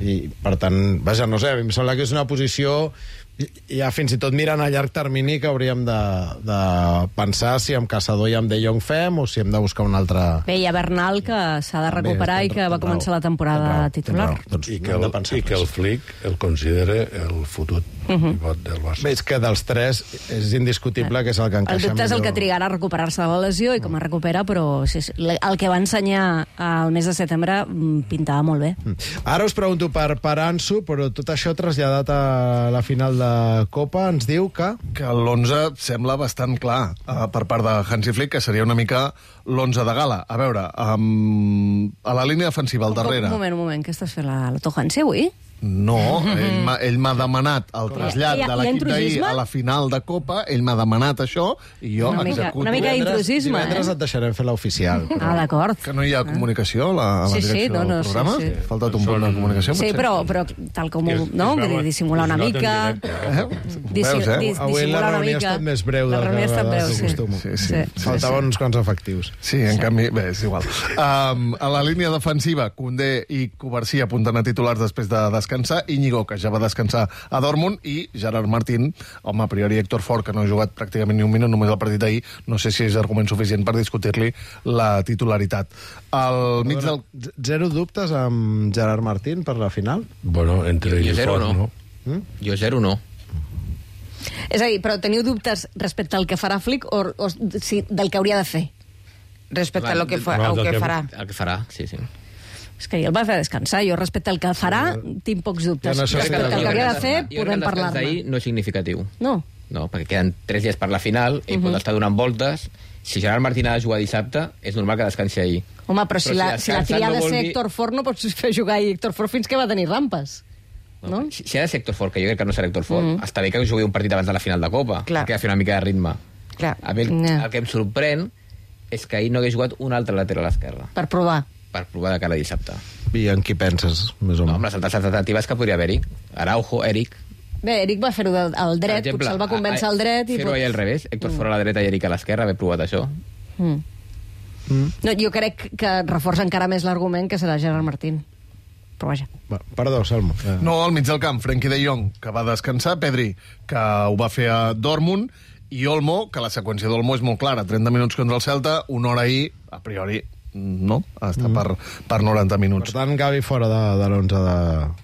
I, per tant, vaja, no sé, em sembla que és una posició... Ja fins i tot mirant a llarg termini que hauríem de pensar si amb Caçador i amb De Jong fem o si hem de buscar un altre... Bé, hi ha Bernal, que s'ha de recuperar i que va començar la temporada titular. I que el Flick el considera el fotut pivot del Barça. Bé, és que dels tres és indiscutible que és el que encaixa millor. El dubte és el que trigarà a recuperar-se de la lesió i com es recupera, però el que va ensenyar al mes de setembre pintava molt bé. Ara us pregunto per Ansu, però tot això traslladat a la final de Copa ens diu que l'11 sembla bastant clar per part de Hansi Flick, que seria una mica l'11 de gala. A veure, a la línia defensiva, al darrere... Un moment, què estàs fent, la Hansi avui? No, ell m'ha demanat el trasllat de l'equip d'ahir a la final de Copa, ell m'ha demanat això, i jo executo. Una mica d'intrusisme, Divendres et deixarem fer l'oficial. D'acord. Que no hi ha comunicació a la direcció del programa? Sí. Ha faltat un punt de comunicació, potser? Sí, però tal com... No? Vull dir, dissimular una mica... Avui la reunió ha estat més breu del que acostumo. Faltaven uns quants efectius. Sí, en canvi, bé, és igual. A la línia defensiva, Koundé i Covarsí apunten a titulars després de descansar, Íñigo, que ja va descansar a Dortmund, i Gerard Martín, home, a priori Héctor Fort, que no ha jugat pràcticament ni un minut, només el partit d'ahir, no sé si és argument suficient per discutir-li la titularitat. Al mig del... Zero dubtes amb Gerard Martín per la final? Bueno, entre ell i Fort, no. Jo zero no. És a dir, però teniu dubtes respecte al que farà Flick o del que hauria de fer? Respecte al que farà. El que farà, sí. És que el va fer descansar. Jo, respecte al que farà, tinc pocs dubtes. Respecte al que hauria de fer, podem parlar-ne. D'ahir no és significatiu. No, perquè queden 3 dies per la final, ell pot estar donant voltes. Si Gerard Martín ha de jugar dissabte, és normal que descansi ahir. Home, però si la tria ha de ser Héctor Fort, no pots fer jugar Héctor Fort fins que va tenir rampes. No? Si ha de ser Héctor Fort, que jo crec que no serà Héctor Fort, està bé que jugui un partit abans de la final de Copa, que ha de fer una mica de ritme. El que em sorprèn és que ahir no hagués jugat un altre lateral a l'esquerra. Per provar de cara a dissabte. I en qui penses, més o menys? Amb les altres alternatives que podria haver-hi. Araujo, Eric... Bé, Eric va fer-ho al dret, potser el va convèncer al dret... Fer-ho allà al revés, Héctor Fort a la dreta i Eric a l'esquerra, haver provat això. No, jo crec que reforça encara més l'argument que serà Gerard Martín. Però vaja. Perdó, Salmo. No, al mig del camp, Frenkie de Jong, que va descansar, Pedri, que ho va fer a Dortmund, i Olmo, que la seqüència d'Olmo és molt clara. 30 minuts contra el Celta, una hora ahir, a priori, no? Està per 90 minuts. Per tant, Gavi fora de l'11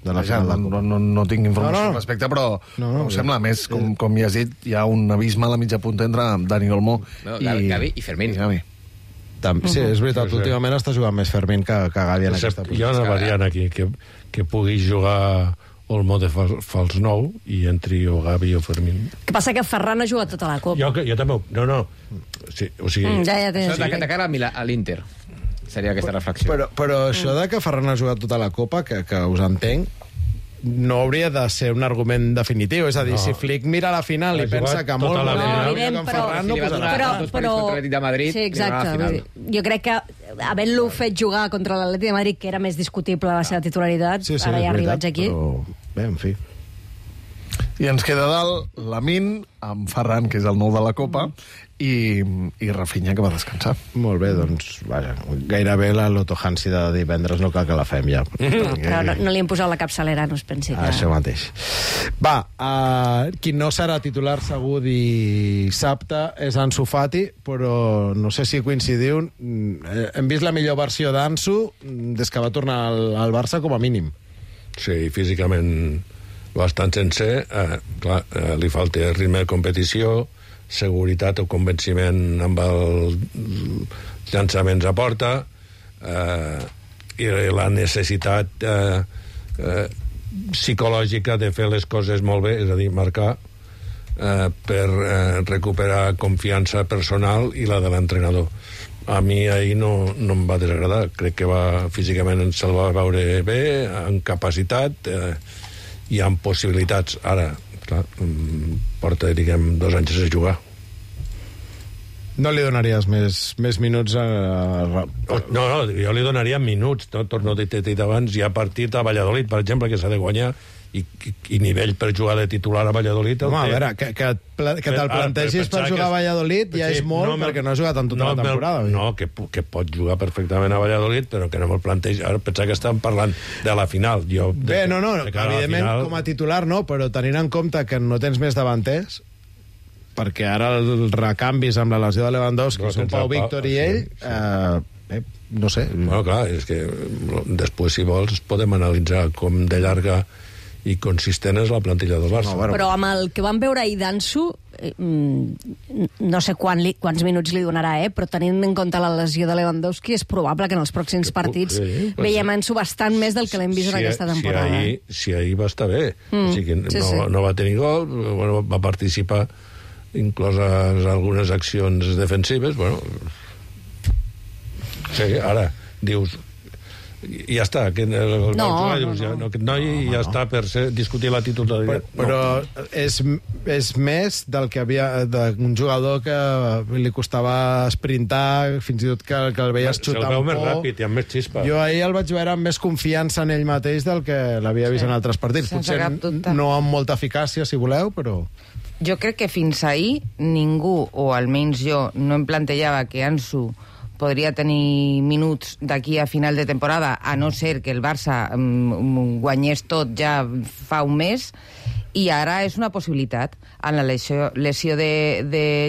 de la final. No tinc informació al respecte, però em sembla més, com ja has dit, hi ha un abisme a la mitja punta entre Dani Olmo i Gavi i Fermín. Sí, és veritat, últimament està jugant més Fermín que Gavi en aquesta posició. Hi ha una variant aquí, que pugui jugar Olmo de fals nou i entri o Gavi o Fermín. Que passa que Ferran ha jugat tota la Copa. Jo també... No. Sí, o sigui... De cara a l'Inter seria aquesta reflexió. Però això de que Ferran ha jugat tota la Copa, que us entenc, no hauria de ser un argument definitiu. És a dir, si Flick mira la final i pensa que molt evident, però... Sí, exacte. Jo crec que havent-lo fet jugar contra l'Atlètic de Madrid, que era més discutible la seva titularitat, ara ja arribats aquí... Bé, en fi. I ens queda dalt Lamine, amb Ferran, que és el nou de la Copa, i Rafinha, que va descansar. Molt bé, doncs, vaja, gairebé la Loto Hansi de divendres no cal que la fem ja. Però no li hem posat la capçalera, no es pensi que... Això mateix. Va, qui no serà titular segur dissabte és Ansu Fati, però no sé si coincidiu, hem vist la millor versió d'Ansu des que va tornar al Barça com a mínim. Sí, físicament bastant sencer, clar, li falta ritme de competició, seguretat o convenciment amb els llançaments a porta, i la necessitat psicològica de fer les coses molt bé, és a dir, marcar, per recuperar confiança personal i la de l'entrenador. A mi ahir no em va desagradar, crec que físicament se'l va veure bé, amb capacitat i amb possibilitats. Ara, clar, porta, diguem, 2 anys sense jugar. No li donaries més minuts a... No, jo li donaria minuts, torno a dir abans, hi ha partit a Valladolid, per exemple, que s'ha de guanyar, i nivell per jugar de titular a Valladolid... Home, a veure, que te'l plantegis per jugar a Valladolid ja és molt, perquè no ha jugat en tota la temporada. No, que pot jugar perfectament a Valladolid, però que no me'l plantegi... Ara pensava que estàvem parlant de la final. Bé, no, evidentment com a titular no, però tenint en compte que no tens més davanters, perquè ara els recanvis amb la lesió de Lewandowski són Pau Víctor i ell, no sé. Bueno, clar, és que després, si vols, podem analitzar com de llarga i consistent és la plantilla del Barça. Però amb el que vam veure ahir d'Ansu, no sé quants minuts li donarà, però tenint en compte la lesió de Lewandowski, és probable que en els pròxims partits veiem Ansu bastant més del que l'hem vist en aquesta temporada. Si ahir va estar bé. O sigui, no va tenir gol, va participar incloses algunes accions defensives, bueno... Sí, ara, dius... Ja està, aquest noi ja està per discutir la titularitat. Però és més del que havia d'un jugador que li costava sprintar, fins i tot que el veies xutar se'l veu més ràpid i amb més xispa. Jo ahir el vaig veure amb més confiança en ell mateix del que l'havia vist en altres partits. Potser no amb molta eficàcia, si voleu, però... Jo crec que fins ahir ningú, o almenys jo, no em plantejava que Ansu podria tenir minuts d'aquí a final de temporada, a no ser que el Barça guanyés tot ja fa un mes, i ara és una possibilitat. En la lesió de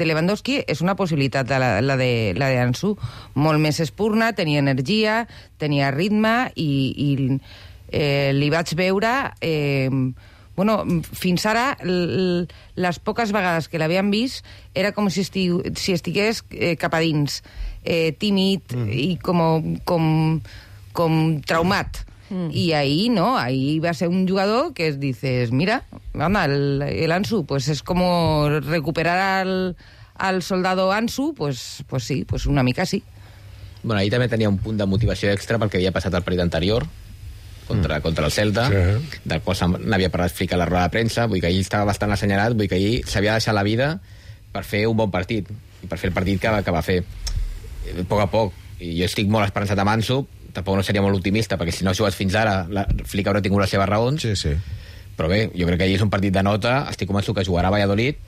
Lewandowski és una possibilitat la de Ansu. Molt més espurna, tenia energia, tenia ritme, i li vaig veure... fins ara, les poques vegades que l'havíem vist, era com si estigués cap a dins, tímid i com traumat. I ahí, no, ahí va ser un jugador que dices, mira, anda, el Ansu, pues es como recuperar al soldado Ansu, pues sí, pues una mica sí. Bueno, ahí també tenia un punt de motivació extra perquè havia passat el partit anterior, contra el Celta, del qual n'havia parlat Flick a la roda de premsa, vull que ahir estava bastant assenyalat, vull que ahir s'havia deixat la vida per fer un bon partit, i per fer el partit que va fer a poc, i jo estic molt esperançat amb Ansu, tampoc no seria molt optimista, perquè si no ha jugat fins ara, Flick haurà tingut les seves raons, però bé, jo crec que ahir és un partit de nota, estic convençut que jugarà a Valladolid,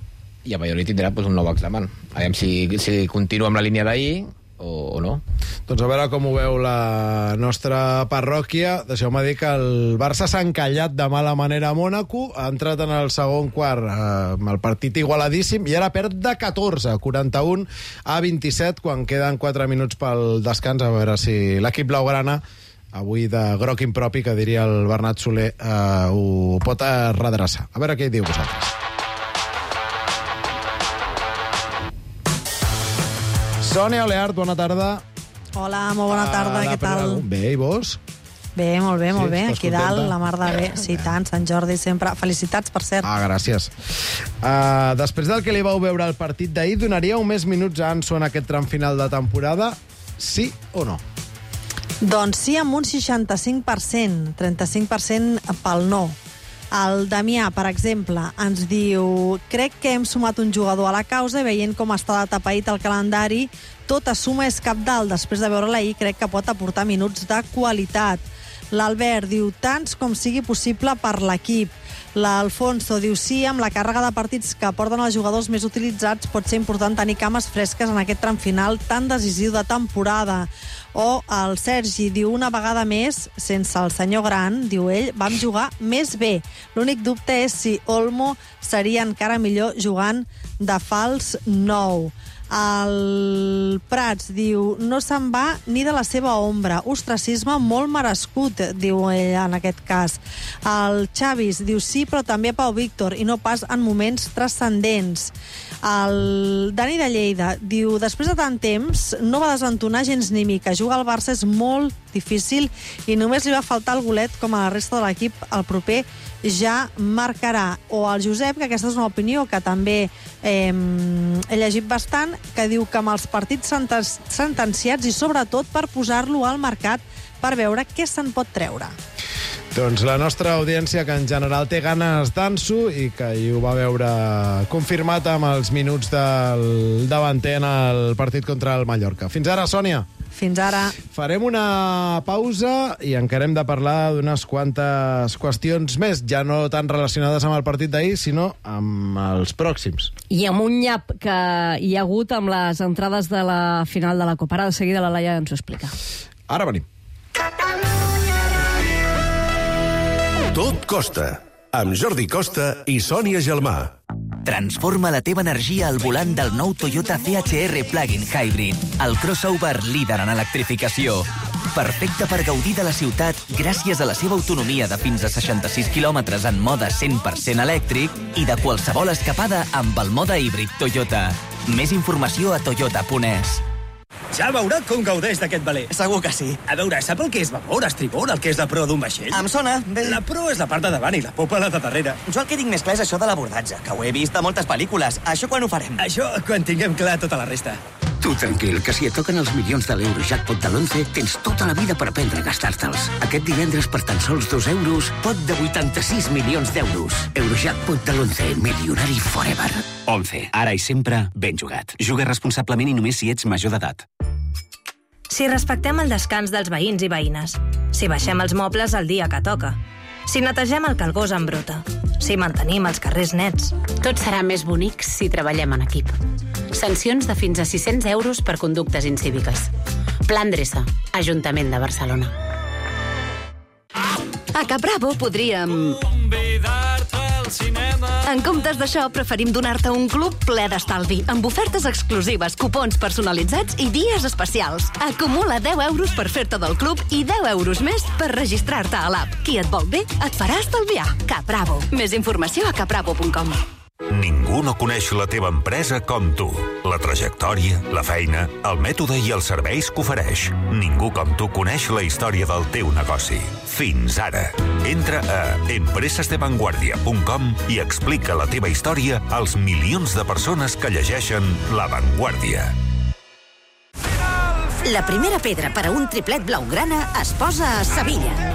i a Valladolid tindrà un nou examen. Aviam si continua amb la línia d'ahir, o no. Doncs a veure com ho veu la nostra parròquia. Deixeu-me dir que el Barça s'ha encallat de mala manera a Mònaco, ha entrat en el segon quart amb el partit igualadíssim i ara perd de 14, 41 a 27, quan queden 4 minuts pel descans. A veure si l'equip blaugrana, avui de groc impropi, que diria el Bernat Soler, ho pot redreçar. A veure què hi diu vosaltres. Sònia Oleart, bona tarda. Hola, molt bona tarda, què tal? Bé, i vos? Bé, molt bé, molt Sí, bé. estàs Aquí dalt, contenta? la mar de bé. Sí, tant, Sant Jordi sempre. Felicitats, per cert. Gràcies. Després del que li vau veure al partit d'ahir, donaríeu més minuts a Ansu en aquest tram final de temporada? Sí o no? Doncs sí, amb un 65%, 35% pel no. El Damià, per exemple, ens diu: crec que hem sumat un jugador a la causa i veient com està atapeït el calendari, tota suma és cabdal. Després de veure-la ahir, crec que pot aportar minuts de qualitat. L'Albert diu: tants com sigui possible per l'equip. L'Alfonso diu: sí, amb la càrrega de partits que porten els jugadors més utilitzats pot ser important tenir cames fresques en aquest tram final tan decisiu de temporada. O el Sergi diu: una vegada més, sense el senyor Gran, diu ell, vam jugar més bé. L'únic dubte és si Olmo seria encara millor jugant de fals 9. El Prats diu: no se'n va ni de la seva ombra. Ostracisme molt merescut, diu ell en aquest cas. El Xavis diu: sí, però també a Pau Víctor, i no pas en moments transcendents. El Dani de Lleida diu: després de tant temps no va desentonar gens ni mica. Jugar al Barça és molt difícil i només li va faltar el golet com a la resta de l'equip. El proper ja marcarà. O el Josep, que aquesta és una opinió que també he llegit bastant, que diu que amb els partits sentenciats i sobretot per posar-lo al mercat per veure què se'n pot treure. Doncs la nostra audiència, que en general té ganes d'Ansu i que hi ho va veure confirmat amb els minuts del davanter en el partit contra el Mallorca. Fins ara, Sònia. Fins ara. Farem una pausa i encarem de parlar d'unes quantes qüestions més, ja no tan relacionades amb el partit d'ahir, sinó amb els pròxims. I amb un nyap que hi ha hagut amb les entrades de la final de la Copa. Ara de seguida la Laia ens ho explica. Ara venim. Tot costa, amb Jordi Costa i Sònia Gelmà. Transforma la teva energia al volant del nou Toyota CHR Plug-in Hybrid, el crossover líder en electrificació. Perfecte per gaudir de la ciutat gràcies a la seva autonomia de fins a 66 quilòmetres en mode 100% elèctric i de qualsevol escapada amb el mode híbrid Toyota. Més informació a toyota.es. Ja veurà com gaudeix d'aquest veler. Segur que sí. A veure, sap el que és babord, estribord, el que és la proa d'un vaixell? Em sona, bé. La proa és la part de davant i la popa la de darrere. Jo el que tinc més clar és això de l'abordatge, que ho he vist a moltes pel·lícules. Això quan ho farem? Això quan tinguem clar tota la resta. Tu tranquil, que si et toquen els milions de l'Eurojackpot de l'11, tens tota la vida per aprendre a gastar-te'ls. Aquest divendres, per tan sols 2 euros, pot de 86 milions d'euros. Eurojackpot de l'11, milionari forever. 11. Ara i sempre, ben jugat. Juga responsablement i només si ets major d'edat. Si respectem el descans dels veïns i veïnes, si baixem els mobles el dia que toca, si netegem el calgós en bruta, si mantenim els carrers nets. Tot serà més bonic si treballem en equip. Sancions de fins a 600 euros per conductes incíviques. Plan Dreça, Ajuntament de Barcelona. A Cap Bravo podríem... En comptes d'això, preferim donar-te un club ple d'estalvi, amb ofertes exclusives, cupons personalitzats i dies especials. Acumula 10 euros per fer-te del club i 10 euros més per registrar-te a l'app. Qui et vol bé, et farà estalviar. Cap Bravo. Més informació a capbravo.com. Ningú no coneix la teva empresa com tu. La trajectòria, la feina, el mètode i els serveis que ofereix. Ningú com tu coneix la història del teu negoci. Fins ara. Entra a empresasdevanguardia.com i explica la teva història als milions de persones que llegeixen La Vanguardia. La primera pedra per a un triplet blaugrana es posa a Sevilla.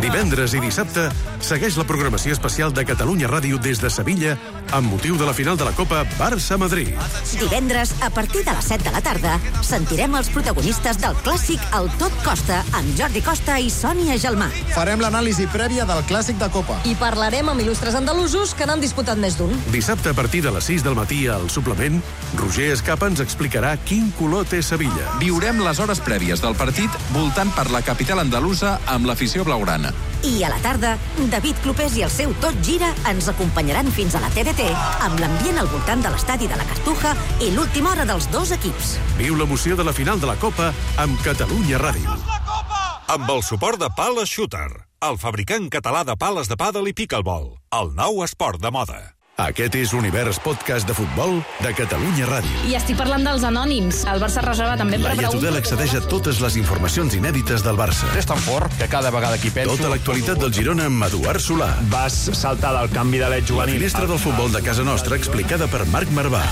Divendres i dissabte, segueix la programació especial de Catalunya Ràdio des de Sevilla amb motiu de la final de la Copa Barça-Madrid. Divendres, a partir de les 7 de la tarda, sentirem els protagonistes del clàssic El Tot Costa amb Jordi Costa i Sònia Gelmà. Farem l'anàlisi prèvia del clàssic de Copa. I parlarem amb il·lustres andalusos que n'han disputat més d'un. Dissabte, a partir de les 6 del matí, al suplement, Roger Escapa ens explicarà quin color té Sevilla. Viurem les hores prèvies del partit voltant per la capital andalusa amb l'afició blaugrana. I a la tarda, David Clopés i el seu Tot Gira ens acompanyaran fins a la TDT amb l'ambient al voltant de l'estadi de la Cartuja i l'última hora dels dos equips. Viu l'emoció de la final de la Copa amb Catalunya Ràdio. Amb el suport de Pala Shooter, el fabricant català de pales de pàdel i pickleball, el nou esport de moda. Aquest és l'Univers Podcast de Futbol de Catalunya Ràdio. I estic parlant dels anònims. El Barça reserva també per Laia Tudel accedeix a totes les informacions inèdites del Barça. És tan fort que cada vegada que hi penso... Tota l'actualitat del Girona amb Eduard Solà. Vas saltar del canvi de l'et juvenil. La finestra del futbol de casa nostra explicada per Marc Marvà.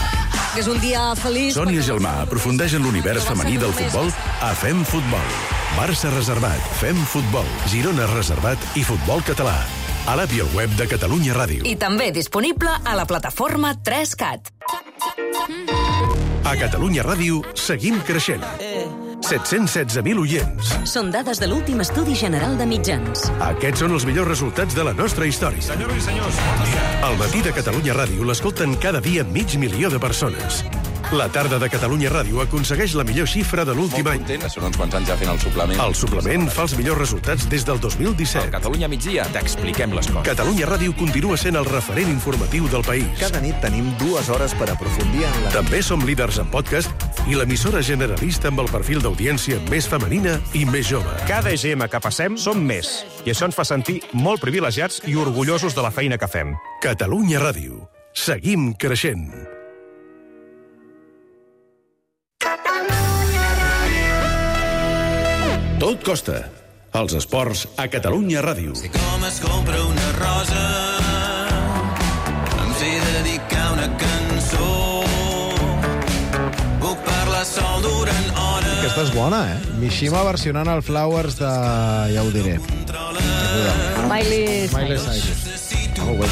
Que és un dia feliç... Sònia Gelmà aprofundeix en l'univers femení del futbol a Fem Futbol. Barça reservat, Fem Futbol, Girona reservat i futbol català. A l'app i al web de Catalunya Ràdio. I també disponible a la plataforma 3CAT. A Catalunya Ràdio seguim creixent. 716.000 oients. Són dades de l'últim estudi general de mitjans. Aquests són els millors resultats de la nostra història. Senyores i senyors, Al matí de Catalunya Ràdio l'escolten cada dia 500.000 de persones. La tarda de Catalunya Ràdio aconsegueix la millor xifra de l'últim any. Són uns quants anys ja fent el suplement. El suplement fa els millors resultats des del 2017. Al Catalunya migdia t'expliquem les coses. Catalunya Ràdio continua sent el referent informatiu del país. Cada nit tenim 2 hores per aprofundir en la... També som líders en podcast i l'emissora generalista amb el perfil d'audiència més femenina i més jove. Cada EGM que passem som més. I això ens fa sentir molt privilegiats i orgullosos de la feina que fem. Catalunya Ràdio. Seguim creixent. Tot costa. Els esports a Catalunya Ràdio. Si com es compra una rosa, em sé dedicar una cançó. Puc parlar sol durant hores. Aquesta és bona, Mishima versionant el Flowers de... ja ho diré. Miley Cyrus. Ho he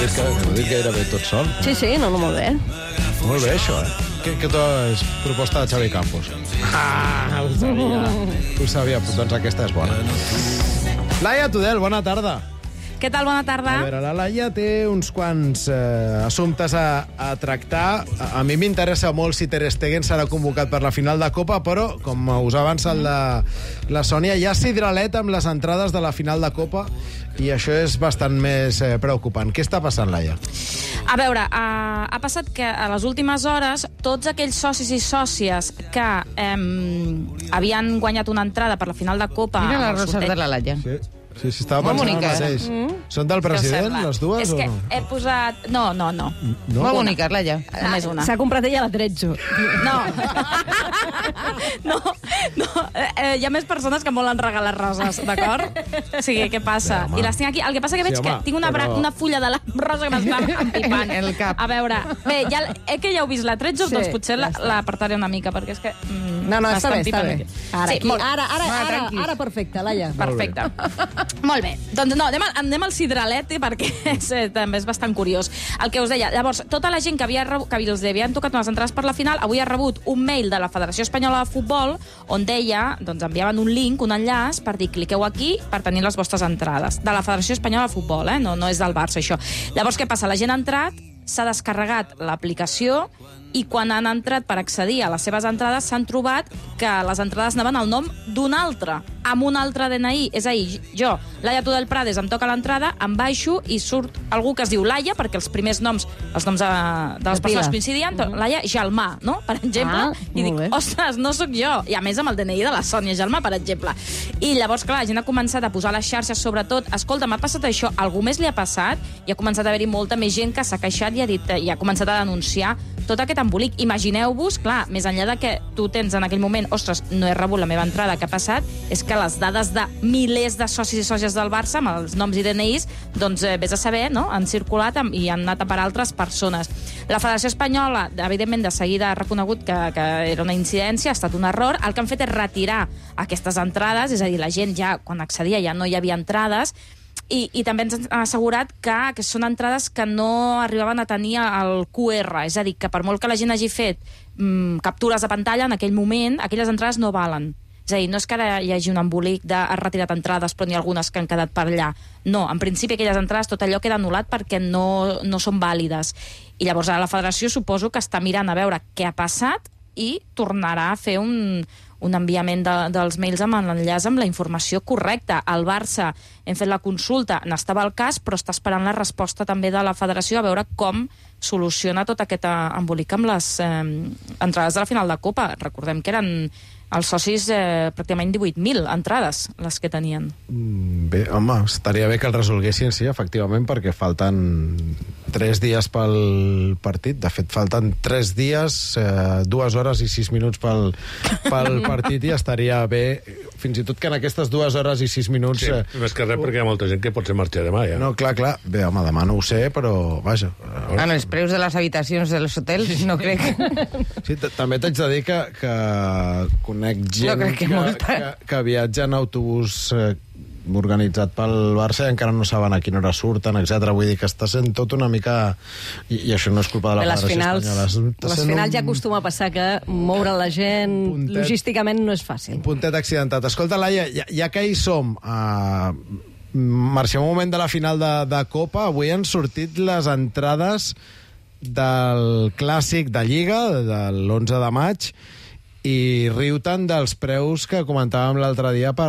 dit gairebé tot sol. Sí, no, molt bé. Molt bé, això, Que és proposta de Xavi Campos. Ho sabia. Doncs aquesta és bona. Laia Tudel, bona tarda. Què tal? Bona tarda. A veure, la Laia té uns quants assumptes a tractar. A mi m'interessa molt si Ter Stegen serà convocat per la final de Copa, però, com us ha avançat la Sònia, hi ha sidralet amb les entrades de la final de Copa i això és bastant més preocupant. Què està passant, Laia? A veure, ha passat que a les últimes hores tots aquells socis i sòcies que havien guanyat una entrada per la final de Copa... Mira les roses de la Laia. Sí, estava pensant el mateix. Són del president, les dues, o no? És que he posat... No. Molt boniques, Laia. Només una. S'ha comprat ella la 13. No. Hi ha més persones que em volen regalar roses, d'acord? O sigui, què passa? I les tinc aquí. El que passa que veig que tinc una fulla de la rosa que m'està empipant. El cap. A veure, bé, que ja heu vist la 13, doncs potser l'apartaré una mica, perquè és que... No, està bé. Ara perfecte, Laia. Perfecte. Molt bé. Doncs no, anem al sidralet, perquè també és bastant curiós. El que us deia, llavors, tota la gent que els havien tocat unes entrades per la final, avui ha rebut un mail de la Federació Espanyola de Futbol on deia, doncs enviaven un link, un enllaç, per dir, cliqueu aquí per tenir les vostres entrades. De la Federació Espanyola de Futbol, no és del Barça, això. Llavors, què passa? La gent ha entrat, s'ha descarregat l'aplicació i quan han entrat per accedir a les seves entrades s'han trobat que les entrades anaven al nom d'un altre, amb un altre DNI. És a dir, jo, Laia Tudel Prades, em toca l'entrada, em baixo i surt algú que es diu Laia, perquè els primers noms, els noms de les persones coincidien, Laia Gelmà, no? Per exemple. I dic, ostres, no sóc jo. I a més amb el DNI de la Sònia Gelmà, per exemple. I llavors, clar, la gent ha començat a posar a les xarxes, sobretot, escolta, m'ha passat això, algú més li ha passat? I ha començat a haver-hi molta més gent que s'ha queixat i ha començat a denunciar tot aquest embolic. Imagineu-vos, clar, més enllà de que tu tens en aquell moment, ostres, no he rebut la meva entrada, què ha passat? És que les dades de milers de socis i sòcies del Barça, amb els noms i DNIs, doncs vés a saber, no?, han circulat i han anat a parar altres persones. La Federació Espanyola, evidentment, de seguida ha reconegut que era una incidència, ha estat un error. El que han fet és retirar aquestes entrades, és a dir, la gent ja, quan accedia, ja no hi havia entrades, I també ens han assegurat que són entrades que no arribaven a tenir el QR, és a dir, que per molt que la gent hagi fet captures de pantalla, en aquell moment, aquelles entrades no valen. És a dir, no és que ara hi hagi un embolic de has retirat entrades, però n'hi ha algunes que han quedat per allà. No, en principi aquelles entrades, tot allò queda anul·lat perquè no són vàlides. I llavors ara la federació suposo que està mirant a veure què ha passat i tornarà a fer un enviament dels mails amb l'enllaç amb la informació correcta. Al Barça hem fet la consulta, n'estava al cas, però està esperant la resposta també de la federació a veure com soluciona tot aquest embolic amb les entrades de la final de Copa. Recordem que eren els socis pràcticament 18.000 entrades les que tenien. Bé, home, estaria bé que el resolguessin, sí, efectivament, perquè falten 3 dies pel partit. De fet, falten 3 dies, 2 hores i 6 minuts pel partit, i estaria bé, fins i tot que en aquestes 2 hores i 6 minuts... Sí, més que res perquè hi ha molta gent que pot ser marxar demà, ja. No, clar. Bé, home, demà no ho sé, però, vaja... En els preus de les habitacions dels hotels, no crec. Sí, també t'haig de dir que conec gent que viatja en autobús organitzat pel Barça i encara no saben a quina hora surten, etc. Vull dir que està sent tot una mica... I això no és culpa de la Federació Espanyola. Les finals ja acostuma a passar que moure la gent logísticament no és fàcil. Un puntet accidentat. Escolta, Laia, ja que hi som, marxem un moment de la final de Copa. Avui han sortit les entrades del Clàssic de Lliga, de l'11 de maig, i riu tant dels preus que comentàvem l'altre dia per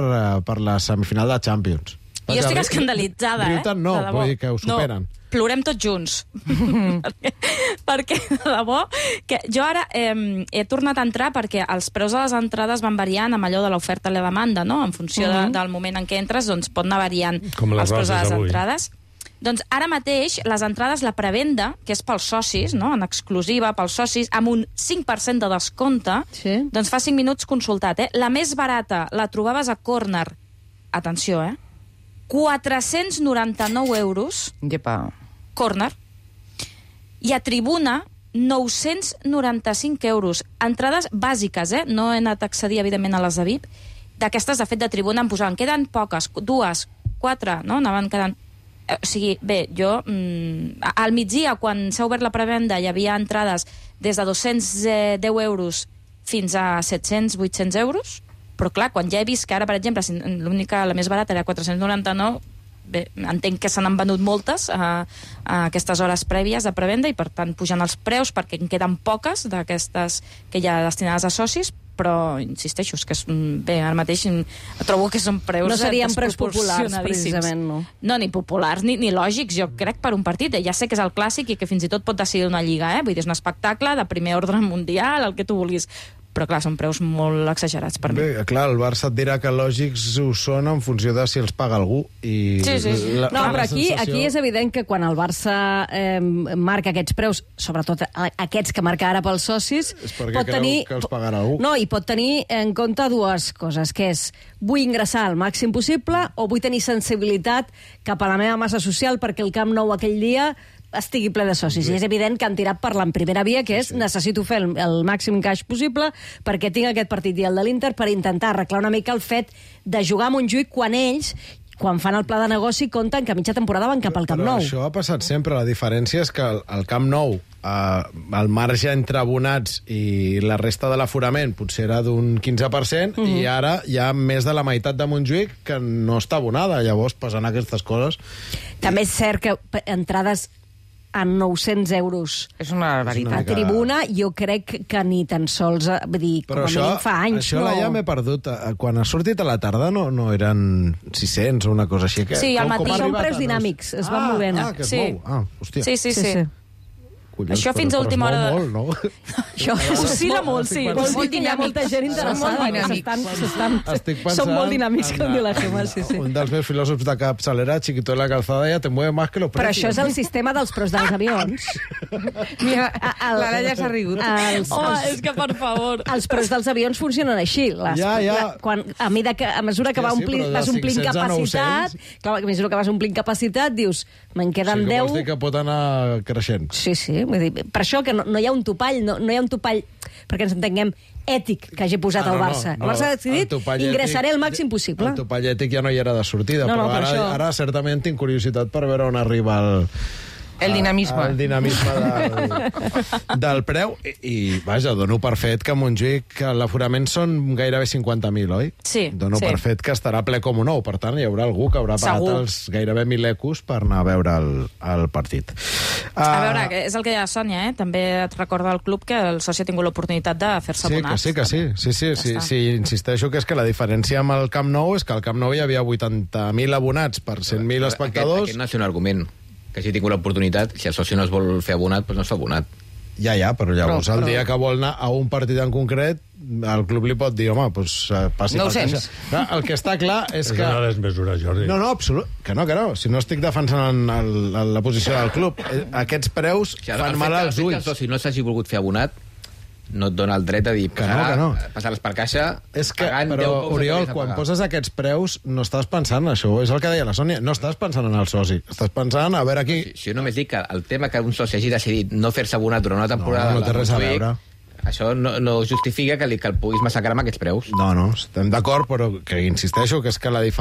la semifinal de Champions. Jo estic escandalitzada, riu tant no, vull dir que ho superen. No, plorem tots junts. perquè, de debò, que jo ara he tornat a entrar perquè els preus de les entrades van variant amb allò de l'oferta i la demanda, no? En funció del moment en què entres, doncs pot anar variant els preus de les entrades. Doncs ara mateix les entrades, la prevenda, que és pels socis, no? En exclusiva pels socis, amb un 5% de descompte, doncs fa 5 minuts consultat. La més barata la trobaves a Corner, atenció, 499 euros. Llepa. Corner. I a Tribuna, 995 euros. Entrades bàsiques, no he anat a accedir, evidentment, a les de VIP. D'aquestes, de fet, de Tribuna em posaven, queden poques, 2, 4, no? Anaven quedant... O sigui, bé, jo al migdia, quan s'ha obert la prevenda, hi havia entrades des de 210 euros fins a 700-800 euros, però clar, quan ja he vist que ara, per exemple, l'única, la més barata era 499, bé, entenc que se n'han venut moltes a aquestes hores prèvies de prevenda i per tant pujan els preus perquè en queden poques d'aquestes que hi ha destinades a socis, però insisteixo, és que bé, ara mateix trobo que són preus no serien preus populars, precisament, no? No, ni populars, ni lògics, jo crec, per un partit. Ja sé que és el Clàssic i que fins i tot pot decidir una lliga, vull dir, és un espectacle de primer ordre mundial, el que tu vulguis, però clar, són preus molt exagerats per mi. Bé, clar, el Barça et dirà que lògics ho són en funció de si els paga algú. I sí. No, però aquí és evident que quan el Barça marca aquests preus, sobretot aquests que marca ara pels socis, és perquè creu que els pagarà algú. No, i pot tenir en compte dues coses, que és vull ingressar al màxim possible o vull tenir sensibilitat cap a la meva massa social perquè el Camp Nou aquell dia estigui ple de socis. I és evident que han tirat per la primera via, que és necessito fer el màxim caix possible perquè tinc aquest partit i el de l'Inter per intentar arreglar una mica el fet de jugar a Montjuïc quan ells, quan fan el pla de negoci, compten que a mitja temporada van cap al Camp Nou. Però això ha passat sempre. La diferència és que el Camp Nou, el marge entre abonats i la resta de l'aforament potser era d'un 15%, i ara hi ha més de la meitat de Montjuïc que no està abonada. Llavors passen aquestes coses. També és cert que entrades a 900 euros. És una barbaritat. A Tribuna, jo crec que ni tan sols, vull dir, com a mínim fa anys. Això ja m'he perdut. Quan ha sortit a la tarda no eren 600 o una cosa així. Sí, al matí són preus dinàmics, es van movent. Que es mou. Hòstia. Sí. Collons, això fins a última hora... Molt, no? Això oscil·la molt, sí. Vol dir que hi ha molta gent interessada. Són molt dinàmics, com diu la Gemma, sí. Un dels meus filòsofs de capçalera, Chiquito de la Calzada, ja te mueve más que los precios. Però això és el sistema dels preus dels avions. Mira, l'Ara ja s'ha rigut. És que, per favor... Els preus dels avions funcionen així. A mesura que vas omplint capacitat, clar, a mesura que vas omplint capacitat, dius, me'n queden 10... Sí que vols dir que pot anar creixent. Sí, Vull dir, per això que no hi ha un topall, no hi ha un topall, perquè ens entenguem, ètic que hagi posat el Barça. El Barça ha decidit ingressaré el màxim possible. El topall ètic ja no hi era de sortida, però ara certament tinc curiositat per veure on arriba el dinamisme. El dinamisme del preu. I, vaja, dono per fet que a Montjuïc l'aforament són gairebé 50.000, oi? Sí. Dono per fet que estarà ple com un ou. Per tant, hi haurà algú que haurà pagat els gairebé 1.000 ecos per anar a veure el partit. A veure, és el que deia Sònia, també et recorda el club que el soci ha tingut l'oportunitat de fer-se abonat. Sí, que sí. Sí, insisteixo que és que la diferència amb el Camp Nou és que al Camp Nou hi havia 80.000 abonats per 100.000 espectadors. Aquest no és un argument. Que si tinc l'oportunitat, si el soci no es vol fer abonat, doncs no es fa abonat. Ja, però llavors el dia que vol anar a un partit en concret, el club li pot dir, home, doncs passi per caixa. El que està clar és que... És una desmesura, Jordi. No, absolut. Que no. Si no estic defensant la posició del club. Aquests preus fan mal als ulls. Que el soci no s'hagi volgut fer abonat no et dona el dret a dir passar-les per caixa pagant 10 però, Oriol, quan poses aquests preus no estàs pensant en això, és el que deia la Sònia, no estàs pensant en el soci, estàs pensant a veure aquí... Si jo només dic que el tema que un soci hagi decidit no fer-se abonat durant una temporada... No té res a veure. Això no justifica que el puguis massacrar amb aquests preus. No, estem d'acord, però que insisteixo que és que la diferència